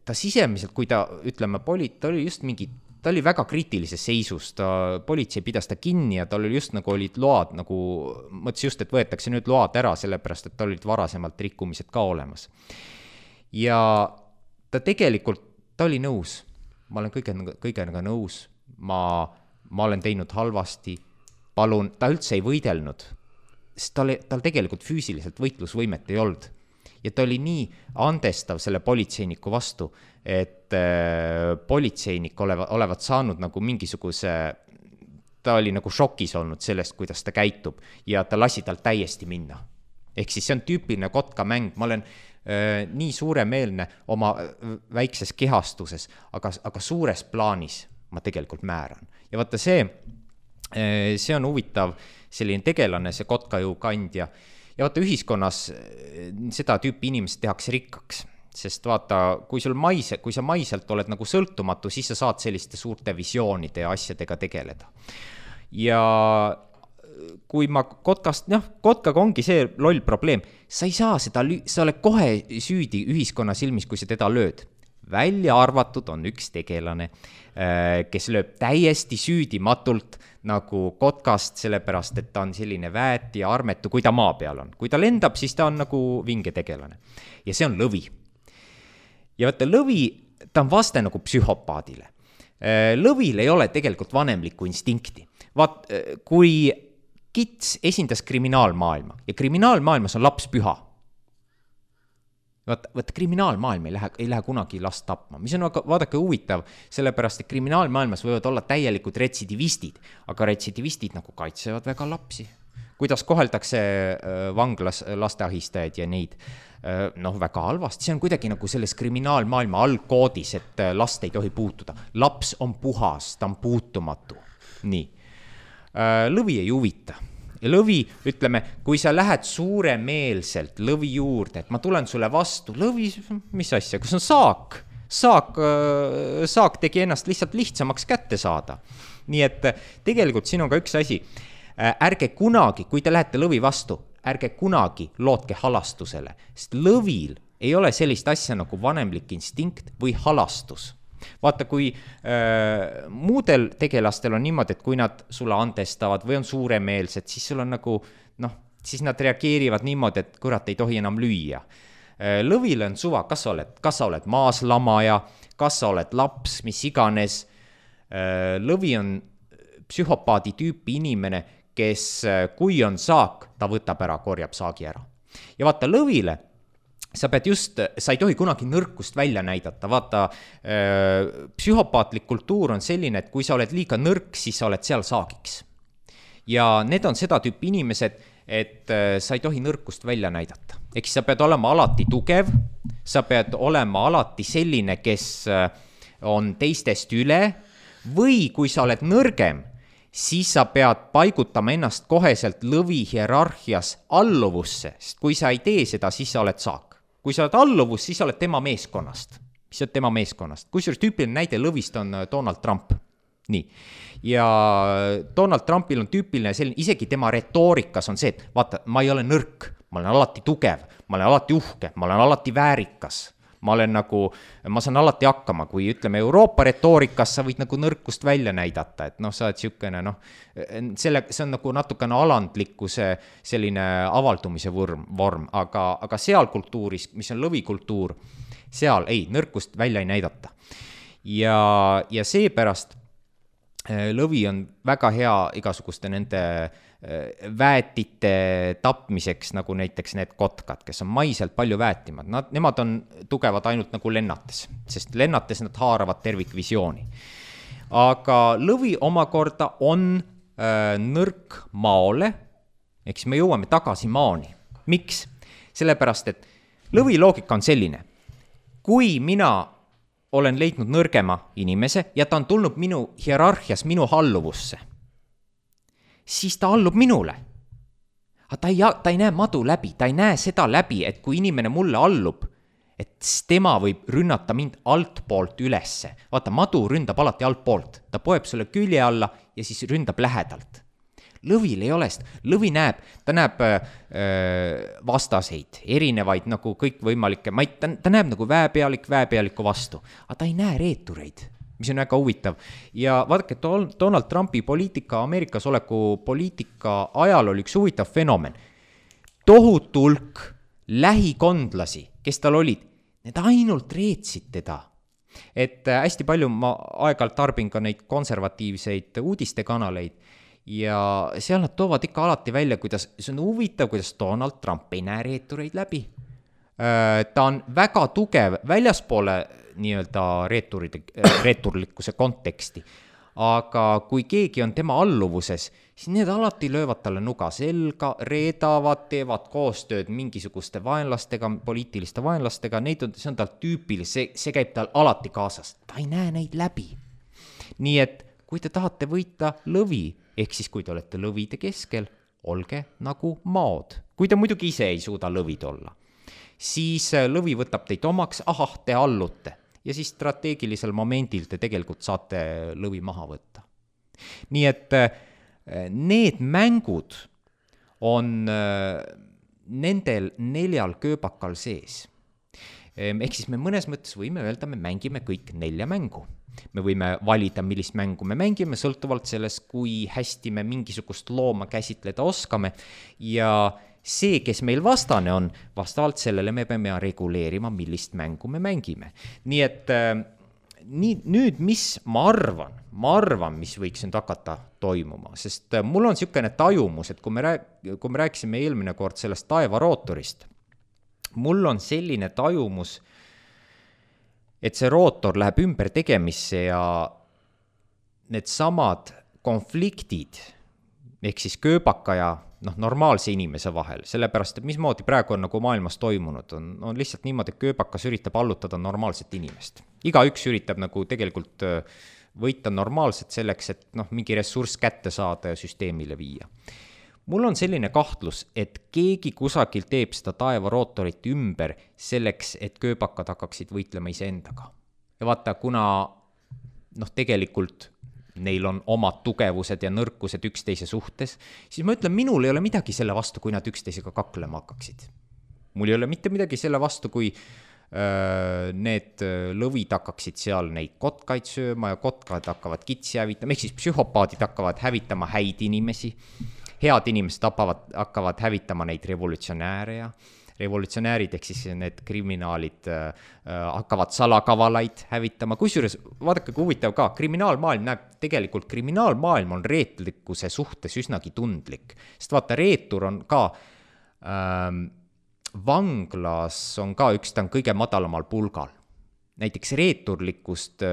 ta sisemiselt, kui ta, ütleme, ta oli just mingi, ta oli väga kriitilises seisus, politsei pidas ta kinni ja tal oli just nagu olid load, nagu mõtles just, et võetakse nüüd load ära, sellepärast, et tal olid varasemalt rikkumised ka olemas. Ja ta tegelikult, ta oli nõus, ma olen kõigega nõus, ma olen teinud halvasti, palun, ta üldse ei võidelnud, sest tal tegelikult füüsiliselt võitlusvõimet ei olnud. Ja ta oli nii andestav selle politseiniku vastu, et politseinik olevat saanud nagu mingisuguse, ta oli nagu šokis olnud sellest, kuidas ta käitub ja ta lasi tal täiesti minna. Ehk siis see on tüüpiline kotka mäng, ma olen nii suuremeelne oma väikses kehastuses, aga suures plaanis ma tegelikult määran. Ja vaata see on huvitav selline tegelane, see kotkajõu kandja. Ja vaata, ühiskonnas seda tüüpi inimesed tehakse rikkaks, sest vaata, kui sa maiselt oled nagu sõltumatu, siis sa saad selliste suurte visioonide ja asjadega tegeleda. Ja kui ma kotkaga ongi see loll probleem, sa ei saa sa oled kohe süüdi ühiskonna silmis, kui sa teda lööd. välja arvatud on üks tegelane, kes lööb täiesti süüdimatult nagu kotkast, sellepärast et ta on selline väet ja armetu, kui ta maa peal on. Kui ta lendab, siis ta on nagu vinge tegelane. Ja see on lõvi. Ja vaata, lõvi, ta on vaste nagu psühhopaadile. Lõvil ei ole tegelikult vanemlikku instinkti. Vaat, kui kits esindas kriminaalmaailma ja kriminaalmaailmas on laps püha, Vaata, kriminaalmaailm ei lähe kunagi last tapma, mis on vaadake huvitav, sellepärast, et kriminaalmaailmas võivad olla täielikud retsidivistid, aga retsidivistid nagu kaitsevad väga lapsi. Kuidas koheldakse vanglas lasteahistajaid ja neid, väga halvasti, see on kuidagi nagu selles kriminaalmaailma algkoodis, et last ei tohi puutuda. Laps on puhas, ta on puutumatu. Nii. Lõvi ei huvita. Ja lõvi, ütleme, kui sa lähed suuremeelselt lõvi juurde, et ma tulen sulle vastu, lõvi, mis asja, kus on saak? Saak tegi ennast lihtsalt lihtsamaks kätte saada. Nii et tegelikult siin on ka üks asi. Ärge kunagi, kui te lähete lõvi vastu, ärge kunagi lootke halastusele, sest lõvil ei ole sellist asja nagu vanemlik instinkt või halastus. Vaata, kui muudel tegelastel on niimoodi, et kui nad sulle andestavad või on suuremeelsed, siis sul on nagu, siis nad reageerivad niimoodi, et kurat ei tohi enam lüüa. Lõvil on suva, kas sa oled maaslamaja, kas sa oled laps, mis iganes. Lõvi on psühhopaadi tüüpi inimene, kes kui on saak, ta võtab ära, korjab saagi ära. Ja vaata, lõvile sa ei tohi kunagi nõrkust välja näidata, vaata, psühhopaatlik kultuur on selline, et kui sa oled liiga nõrk, siis sa oled seal saagiks. Ja need on seda tüüpi inimesed, et sa ei tohi nõrkust välja näidata. Ehk sa pead olema alati tugev, sa pead olema alati selline, kes on teistest üle, või kui sa oled nõrgem, siis sa pead paigutama ennast koheselt lõvi hierarhias alluvusse, sest kui sa ei tee seda, siis sa oled saak. Kui sa oled alluvus, siis sa oled tema meeskonnast. Kusjuures tüüpiline näide lõvist on Donald Trump. Nii. Ja Donald Trumpil on tüüpiline selline, isegi tema retoorikas on see, et vaata, ma ei ole nõrk, ma olen alati tugev, ma olen alati uhke, ma olen alati väärikas. Ma saan alati hakkama, kui ütleme Euroopa retoorikas, sa võid nagu nõrkust välja näidata, et sa oled siukene, see on nagu natukene alandlikkuse selline avaldumise vorm, aga seal kultuuris, mis on lõvikultuur, seal nõrkust välja ei näidata. Ja seepärast lõvi on väga hea igasuguste nende väetite tapmiseks, nagu näiteks need kotkad, kes on maiselt palju väetimad. Nemad on tugevad ainult nagu lennates, sest lennates nad haaravad tervikvisiooni. Aga lõvi omakorda on nõrk maole, eks me jõuame tagasi maani. Miks? Sellepärast, et lõvi loogika on selline. Kui mina olen leidnud nõrgema inimese ja ta on tulnud minu hierarhias minu halluvusse, siis ta allub minule. Ta ei näe madu läbi, ta ei näe seda läbi, et kui inimene mulle allub, et tema võib rünnata mind altpoolt ülesse. Vaata, madu ründab alati altpoolt. Ta poeb sulle külje alla ja siis ründab lähedalt. Lõvil ei ole, lõvi ta näeb vastaseid, erinevaid nagu kõik võimalikke, ta näeb nagu väepealiku vastu, aga ta ei näe reetureid, mis on väga huvitav. Ja vaadake, Donald Trumpi poliitika, Ameerikas oleku poliitika ajal oli üks huvitav fenomen. Tohutu hulk lähikondlasi, kes tal olid, need ainult reetsid teda. Et hästi palju ma aeg-ajalt tarbin ka neid konservatiivseid uudistekanaleid ja seal nad toovad ikka alati välja, kuidas see on huvitav, kuidas Donald Trump ei näe reetureid läbi. Ta on väga tugev väljaspoole nii-öelda reeturlikkuse konteksti, aga kui keegi on tema alluvuses, siis need alati löövad talle nuga selga, reedavad, teevad koostööd mingisuguste vaenlastega, poliitiliste vaenlastega, see on tal tüüpiline, see käib tal alati kaasas, ta ei näe neid läbi. Nii et kui te tahate võita lõvi, ehk siis kui te olete lõvide keskel, olge nagu maod. Kui te muidugi ise ei suuda lõvid olla, siis lõvi võtab teid omaks, te allute. Ja siis strateegilisel momendil te tegelikult saate lõvi maha võtta. Nii et need mängud on nendel 4 kööbakal sees. Ehk siis me mõnes mõttes võime öelda, me mängime kõik 4 mängu. Me võime valida, millist mängu me mängime, sõltuvalt sellest, kui hästi me mingisugust looma käsitleda oskame ja see, kes meil vastane on, vastavalt sellele me peame reguleerima, millist mängu me mängime. Nii et nüüd, mis ma arvan, mis võiks nüüd hakata toimuma, sest mul on niisugune tajumus, et kui me rääkisime eelmine kord sellest taevarootorist, mul on selline tajumus, et see rootor läheb ümber tegemisse ja need samad konfliktid, ehk siis kööbaka ja normaalse inimese vahel, sellepärast, et mismoodi praegu on nagu maailmas toimunud, on lihtsalt niimoodi, et kööbakas üritab allutada normaalset inimest. Igaüks üritab nagu tegelikult võita normaalselt selleks, et mingi ressurss kätte saada ja süsteemile viia. Mul on selline kahtlus, et keegi kusagil teeb seda taevarootorit ümber selleks, et kööbakad hakkaksid võitlema iseendaga. Ja vaata, kuna tegelikult neil on omad tugevused ja nõrkused üksteise suhtes, siis ma ütlen, minul ei ole midagi selle vastu, kui nad üksteisega kaklema hakkaksid. Mul ei ole mitte midagi selle vastu, kui need lõvid hakkaksid seal neid kotkaid sööma ja kotkad hakkavad kitsi hävitama, ehk siis psühhopaadid hakkavad hävitama häid inimesi, head inimesed hakkavad hävitama neid revolutsionääre ja revolutsionäärid, ehk siis need kriminaalid hakkavad salakavalaid hävitama. Kusjuures, vaadake, kui huvitav ka, kriminaalmaailm on reetlikkuse suhtes üsnagi tundlik. Sest vaata, reetur on ka, vanglas on ka ta on kõige madalamal pulgal. Näiteks reeturlikkust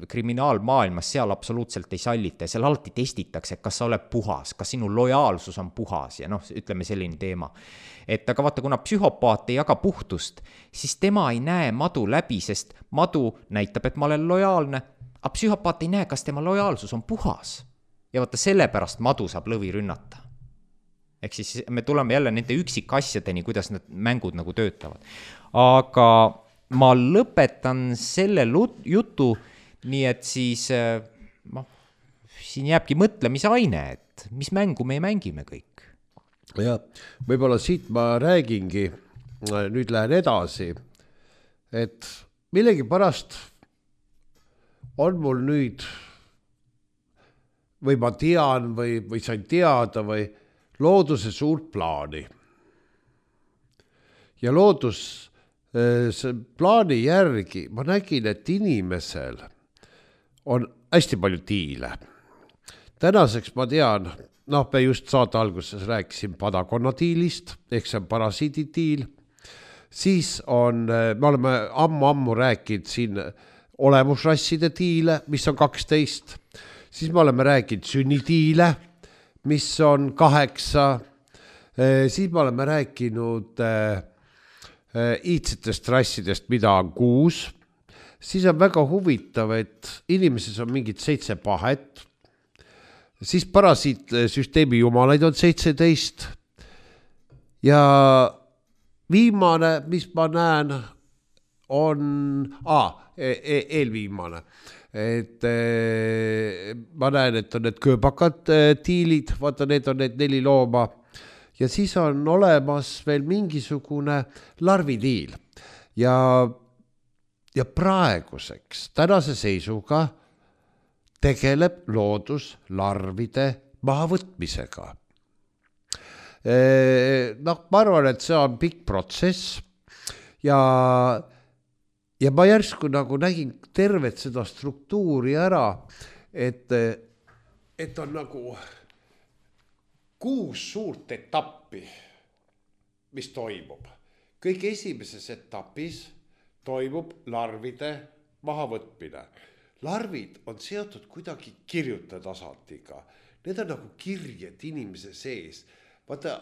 kriminaalmaailmas seal absoluutselt ei sallita ja seal alati testitakse, kas sa oled puhas, kas sinu lojaalsus on puhas ja ütleme selline teema. Et aga vaata, kuna psühhopaat ei jaga puhtust, siis tema ei näe madu läbi, sest madu näitab, et ma olen lojaalne, aga psühhopaat ei näe, kas tema lojaalsus on puhas. Ja vaata, sellepärast madu saab lõvi rünnata. Ehk siis me tuleme jälle nende üksikasjadeni, kuidas need mängud nagu töötavad. Aga ma lõpetan selle jutu, nii et siis siin jääbki mõtlemise aine, et mis mängu me mängime kõik. Ja võib-olla siit ma räägingi, nüüd lähen edasi, et millegi pärast on mul nüüd, või ma tean või sain teada või looduse suurt plaani. Ja loodus see plaani järgi ma nägin, et inimesel on hästi palju tiile. Tänaseks ma tean, me just saate alguses rääkisin padakonnatiilist, ehk see on parasiiditiil. Siis on, me oleme ammu rääkinud siin olemusrasside tiile, mis on 12. Siis me oleme rääkinud sünnitiile, mis on 8. Siis me oleme rääkinud iidsetest rassidest, mida on 6. Siis on väga huvitav, et inimeses on mingid 7 pahet. Siis parasiitsüsteemi jumalaid on 17. Ja viimane, mis ma näen, on eelviimane. Et ma näen, et on need kööbakad tiilid, vaata, need on need 4 looma. Ja siis on olemas veel mingisugune larvitiil. Ja praeguseks, tänase seisuga tegeleb loodus larvide mahavõtmisega. Ma arvan, et see on pikk protsess ja ma järsku nagu nägin tervet seda struktuuri ära, et on nagu 6 suurt etappi, mis toimub. Kõik esimeses etapis toimub larvide mahavõtmine. Larvid on seotud kuidagi kirjuta tasandiga. Need on nagu kirjed inimese sees. Vaata,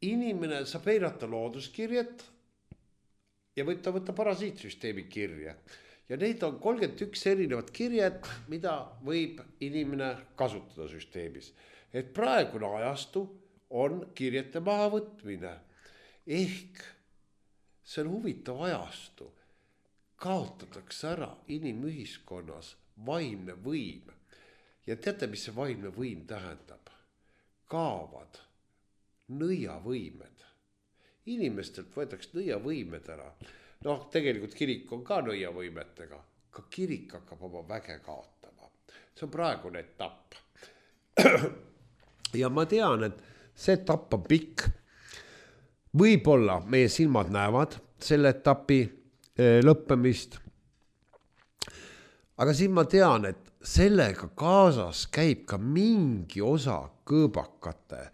inimene saab eirata looduskirjet ja võib ta võtta parasiitsüsteemi kirje. Ja neid on 31 erinevat kirjet, mida võib inimene kasutada süsteemis. Et praegune ajastu on kirjete mahavõtmine. Ehk see on huvitav ajastu. Kaotatakse ära inimühiskonnas vaimne võim. Ja teate, mis see vaimne võim tähendab? Kaovad nõiavõimed. Inimestelt võetakse nõiavõimed ära. noh, tegelikult kirik on ka nõiavõimetega, ka kirik hakkab oma väge kaotama. See on praegune etapp. Ja ma tean, et see etapp on pikk. Võib-olla meie silmad näevad selle etapi lõppemist. Aga siin ma tean, et sellega kaasas käib ka mingi osa kõõbakate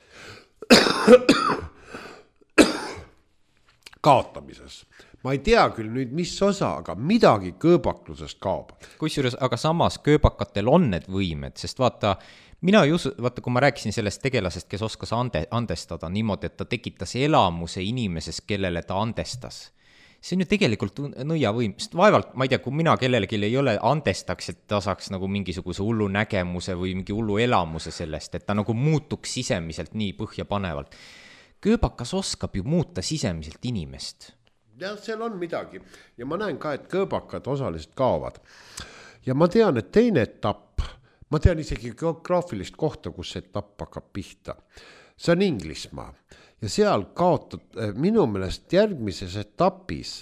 kaotamises. Ma ei tea küll nüüd, mis osa, aga midagi kõõbaklusest kaob. Kusjuures, aga samas kõõbakatel on need võimed, sest vaata, kui ma rääkisin sellest tegelasest, kes oskas andestada niimoodi, et ta tekitas elamuse inimeses, kellele ta andestas. See on ju tegelikult nõiavõim, sest vaevalt, ma ei tea, kui mina kellelegi ei ole andestaks, et ta saaks nagu mingisuguse hullu nägemuse või mingi hullu elamuse sellest, et ta nagu muutuks sisemiselt nii põhjapanevalt. Kõõbakas oskab ju muuta sisemiselt inimest. Ja seal on midagi. Ja ma näen ka, et kõõbakad osaliselt kaovad. Ja ma tean, et teine etapp, ma tean isegi geograafilist kohta, kus see etapp hakkab pihta. See on Inglismaa. Ja seal kaotab minu meelest järgmises etapis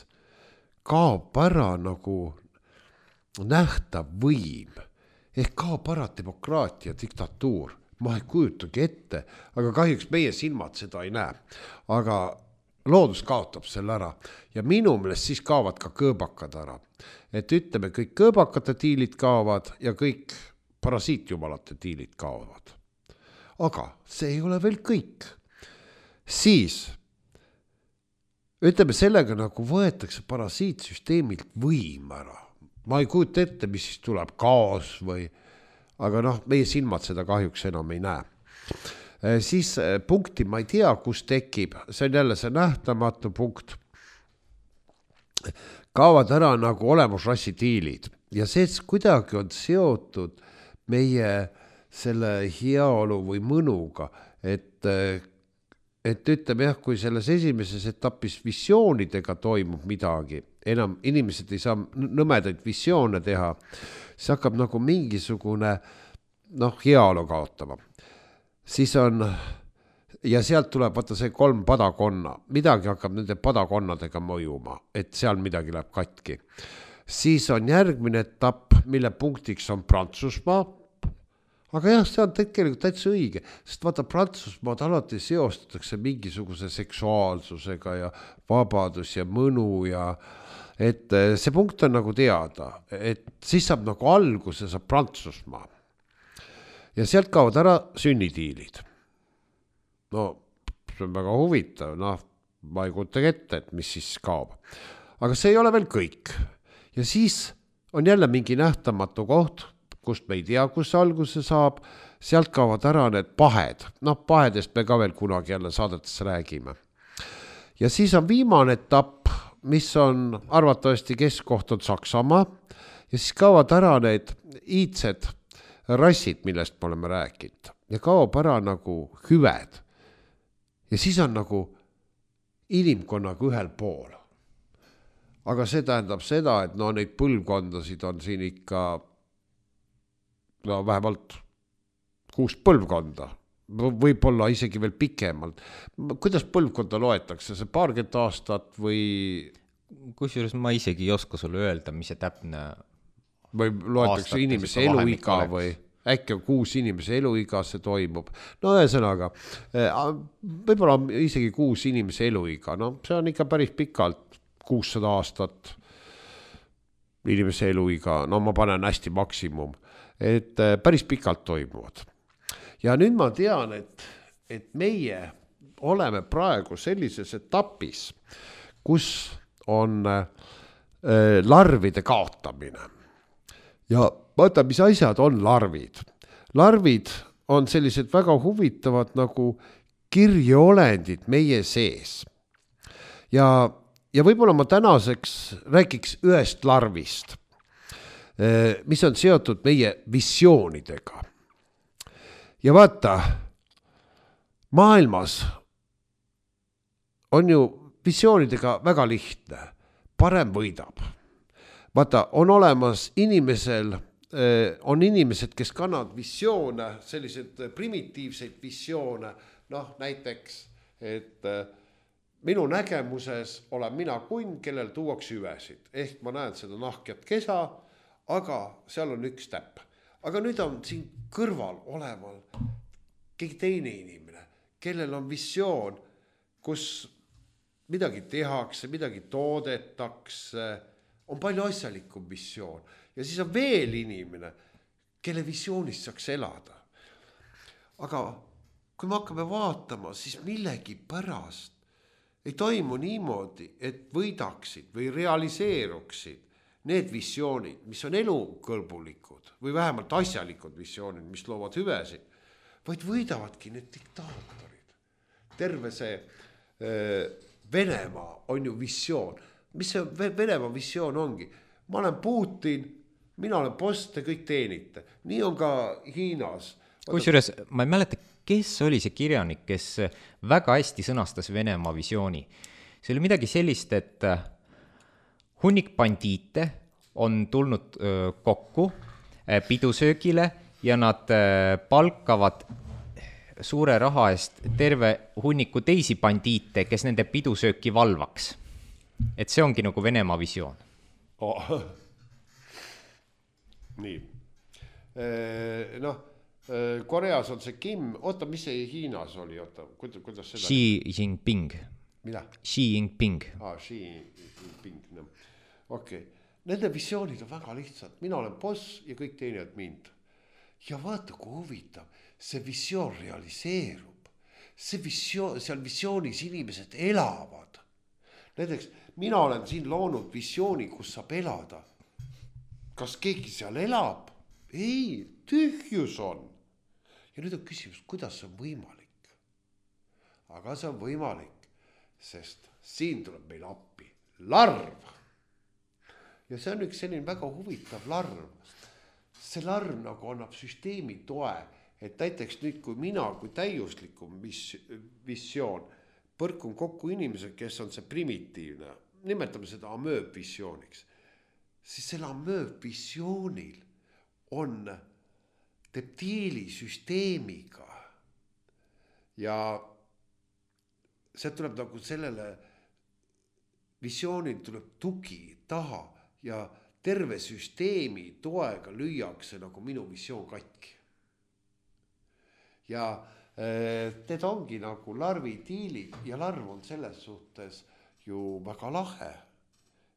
kaob ära nagu nähtav võim. Ehk kaob ära demokraatia, diktatuur. Ma ei kujutagi ette, aga kahjuks meie silmad seda ei näe. Aga loodus kaotab selle ära. Ja minu meelest siis kaovad ka kõõbakad ära. Et ütleme, kõik kõõbakate tiilid kaovad ja kõik parasiitjumalate tiilid kaovad. Aga see ei ole veel kõik. Siis, ütleme, sellega nagu võetakse parasiitsüsteemilt võim ära. Ma ei kujuta ette, mis siis tuleb, kaos või, aga noh, meie silmad seda kahjuks enam ei näe. Siis punkti ma ei tea, kus tekib, see on jälle see nähtamatu punkt. Kaovad ära nagu olemusrassi tiilid ja see kuidagi on seotud meie selle heaolu või mõnuga, et ütleme jah, kui selles esimeses etapis visioonidega toimub midagi, enam inimesed ei saa nõmedaid visioone teha, see hakkab nagu mingisugune heaolu kaotama. Siis on, ja sealt tuleb vaata see 3 padakonna, midagi hakkab nende padakonnadega mõjuma, et seal midagi läheb katki. Siis on järgmine etapp, mille punktiks on Prantsusmaa. Aga jah, see on tegelikult täitsa õige, sest vaata Prantsusmaad alati seostatakse mingisuguse seksuaalsusega ja vabadus ja mõnu ja et see punkt on nagu teada, et siis saab nagu alguse saab Prantsusmaa. Ja sealt kaovad ära sünnitiilid. No, see on väga huvitav, ma ei kujuta ette, et mis siis kaob. Aga see ei ole veel kõik. Ja siis on jälle mingi nähtamatu koht, kust me ei tea, kus alguse saab, sealt kaovad ära need pahed. Pahedest me ka veel kunagi jälle saadetes räägime. Ja siis on viimane etapp, mis on arvatavasti keskkoht on Saksamaa, ja siis kaovad ära need iidsed rassid, millest me oleme rääkinud. Ja kaob ära nagu hüved. Ja siis on nagu inimkonnaga ühel pool. Aga see tähendab seda, et neid põlvkondasid on siin ikka vähemalt 6 põlvkonda, võib-olla isegi veel pikemalt. Kuidas põlvkonda loetakse, see paarkümmend aastat või? Kusjuures ma isegi ei oska sulle öelda, mis see täpne või loetakse inimese eluiga või äkki on 6 inimese eluiga see toimub. Ühesõnaga, võib-olla isegi 6 inimese eluiga, see on ikka päris pikalt 600 aastat inimese eluiga, ma panen hästi maksimum. Et päris pikalt toimuvad. Ja nüüd ma tean, et meie oleme praegu sellises etapis, kus on larvide kaotamine. Ja vaata, mis asjad on larvid. Larvid on sellised väga huvitavad nagu kirjeolendid meie sees. Ja võib-olla ma tänaseks räägiks ühest larvist, mis on seotud meie visioonidega. Ja vaata, maailmas on ju visioonidega väga lihtne. Parem võidab. Vaata, on olemas inimesel, on inimesed, kes kannavad visioone, sellised primitiivseid visioone, näiteks, et minu nägemuses olen mina kunn, kellel tuuakse hüvesid. Ehk ma näen seda nahkjat kesa, aga seal on üks täpp. Aga nüüd on siin kõrval oleval keegi teine inimene, kellel on visioon, kus midagi tehakse, midagi toodetakse, on palju asjalikum visioon. Ja siis on veel inimene, kelle visioonist saaks elada. Aga kui me hakkame vaatama, siis millegi pärast ei toimu niimoodi, et võidaksid või realiseeruksid need visioonid, mis on elukõlbulikud või vähemalt asjalikud visioonid, mis loovad hüvesid, vaid võidavadki need diktaatorid. Terve see Venemaa on ju visioon. Mis see Venemaa visioon ongi? Ma olen Putin, mina olen boss, te kõik teenite. Nii on ka Hiinas. Kusjuures ma ei mäleta, kes oli see kirjanik, kes väga hästi sõnastas Venemaa visiooni. See oli midagi sellist, et hunnik bandiite on tulnud kokku pidusöögile ja nad palkavad suure raha eest terve hunniku teisi bandiite, kes nende pidusööki valvaks. Et see ongi nagu Venemaa visioon. Oh. Nii. Koreas on see Kim, oota, mis see Hiinas oli, oota, kuidas seda? Xi Jinping. Mida? Xi Jinping. Xi Jinping, no. Okei. Nende visioonid on väga lihtsad. Mina olen boss ja kõik teenijad mind. Ja vaata, kui huvitav, see visioon realiseerub. See visioon, seal visioonis inimesed elavad. Näiteks, mina olen siin loonud visiooni, kus saab elada. Kas keegi seal elab? Ei, tühjus on. Ja nüüd on küsimus, kuidas see on võimalik? Aga see on võimalik, sest siin tuleb meil appi larv. Ja see on üks selline väga huvitav larv. See larv nagu annab süsteemi toe, et näiteks nüüd, kui mina kui täiuslikum visioon põrkun kokku inimesed, kes on see primitiivne, nimetame seda amööbvisiooniks, siis selle amööbvisioonil on teptiilisüsteemiga ja see tuleb nagu sellele visioonil tuleb tugi taha ja terve süsteemi toega lüüakse nagu minu visioon katki. Ja need ongi nagu larvitiilid ja larv on selles suhtes ju väga lahe.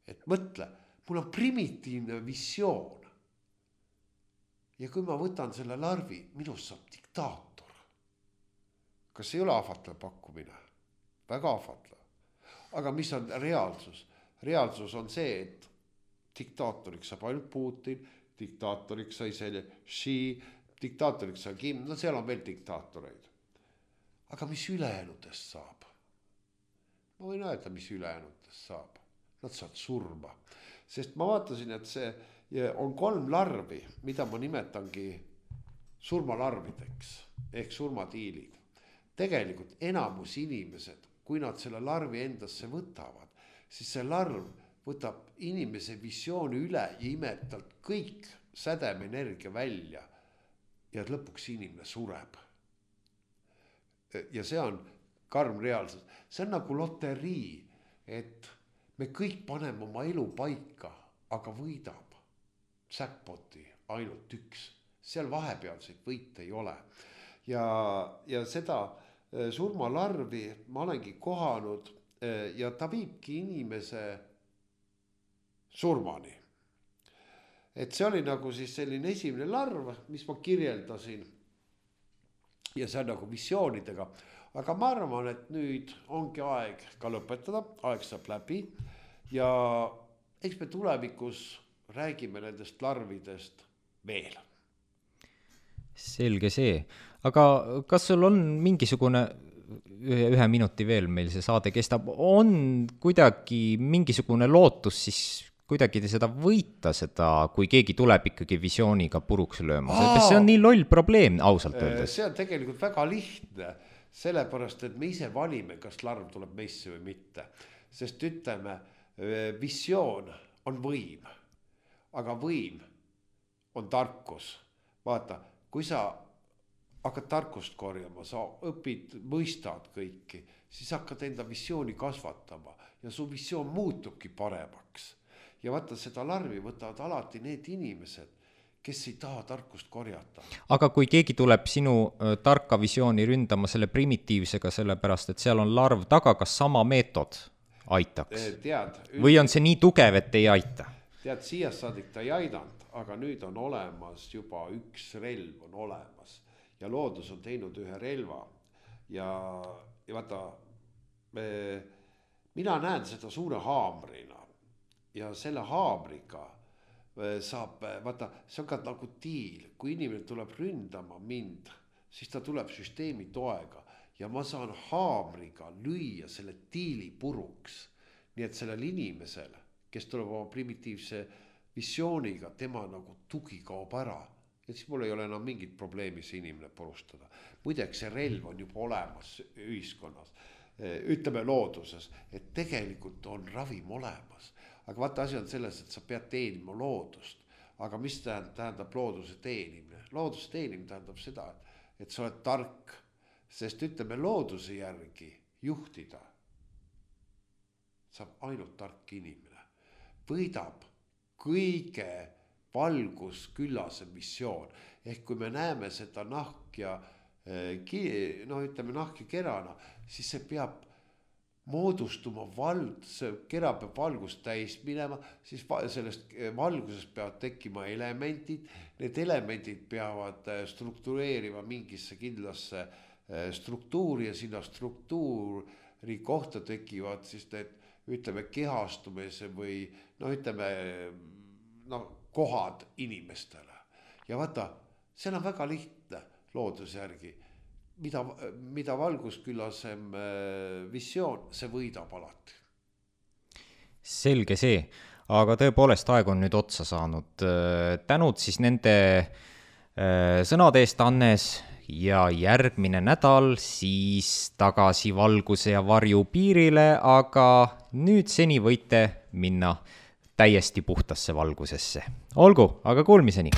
Et mõtle, mul on primitiivne visioon. Ja kui ma võtan selle larvi, minust saab diktaator. Kas ei ole ahvatlev pakkumine? Väga ahvatlev. Aga mis on reaalsus? Reaalsus on see, et diktaatoriks saab ainult Putin, diktaatoriks sai selle Xi, diktaatoriks sai Kim, no seal on veel diktaatoreid. Aga mis ülejäänutest saab? Ma võin öelda, mis ülejäänutest saab. Nad saavad surma. Sest ma vaatasin, et see on 3 larvi, mida ma nimetangi surmalarvideks ehk surmatiilid. Tegelikult enamus inimesed, kui nad selle larvi endasse võtavad, siis see larv võtab inimese visiooni üle ja imeb talt kõik sädemenergia välja ja lõpuks inimene sureb. Ja see on karm reaalsus. See on nagu loterii, et me kõik paneme oma elu paika, aga võidab säkpoti ainult üks. Seal vahepealseid võite ei ole. Ja seda surmalarvi ma olengi kohanud ja ta viibki inimese surmani. Et see oli nagu siis selline esimene larv, mis ma kirjeldasin. Ja see on nagu visioonidega. Aga ma arvan, et nüüd ongi aeg ka lõpetada. Aeg saab läbi. Ja eks me tulevikus räägime nendest larvidest veel. Selge see. Aga kas sul on mingisugune, ühe minuti veel meil see saade kestab, on kuidagi mingisugune lootus siis kuidagi seda võita seda, kui keegi tuleb ikkagi visiooniga puruks lööma? See on nii loll probleem, ausalt öeldes. See on tegelikult väga lihtne, sellepärast, et me ise valime, kas larv tuleb meisse või mitte. Sest ütleme, visioon on võim, aga võim on tarkus. Vaata, kui sa hakkad tarkust korjama, sa õpid, mõistad kõiki, siis hakkad enda visiooni kasvatama ja su visioon muutubki paremaks. Ja vaata, seda larvi võtavad alati need inimesed, kes ei taha tarkust korjata. Aga kui keegi tuleb sinu tarka visiooni ründama selle primitiivsega, sellepärast et seal on larv taga, kas sama meetod aitaks? Või on see nii tugev, et ei aita? Tead, siiast saadik ta ei aidanud, aga nüüd on olemas juba üks relv on olemas ja loodus on teinud ühe relva ja vaata, mina näen seda suure haamrina ja selle haamriga saab, vaata, see on ka nagu tiil, kui inimene tuleb ründama mind, siis ta tuleb süsteemi toega ja ma saan haamriga lüüa selle tiili puruks. Nii et sellel inimesel, kes tuleb oma primitiivse visiooniga, tema nagu tugi kaob ära. Ja siis mul ei ole enam mingit probleemi see inimene purustada. Muideks see relv on juba olemas ühiskonnas, ütleme looduses, et tegelikult on ravim olemas. Aga vaata, asi on selles, et sa pead teenima loodust. Aga mis tähendab looduse teenimine? Looduse teenimine tähendab seda, et sa oled tark, sest ütleme looduse järgi juhtida saab ainult tark inimene. Võidab kõige valgusküllase missioon. Ehk kui me näeme seda nahk ja kerana, siis see peab moodustuma see kera peab valgust täis minema, siis sellest valgusest peavad tekkima elemendid, need elemendid peavad struktureerima mingisse kindlasse struktuuri ja sinna struktuuri kohta tekivad siis need, ütleme, kehastumise või kohad inimestele. Ja vaata, see on väga lihtne looduse järgi. Mida valgusküllasem visioon, see võidab alati. Selge see, aga tõepoolest aeg on nüüd otsa saanud. Tänud siis nende sõnade eest, Hannes, ja järgmine nädal siis tagasi valguse ja varju piirile, aga nüüd seni võite minna täiesti puhtasse valgusesse. Olgu, aga kuulmiseni!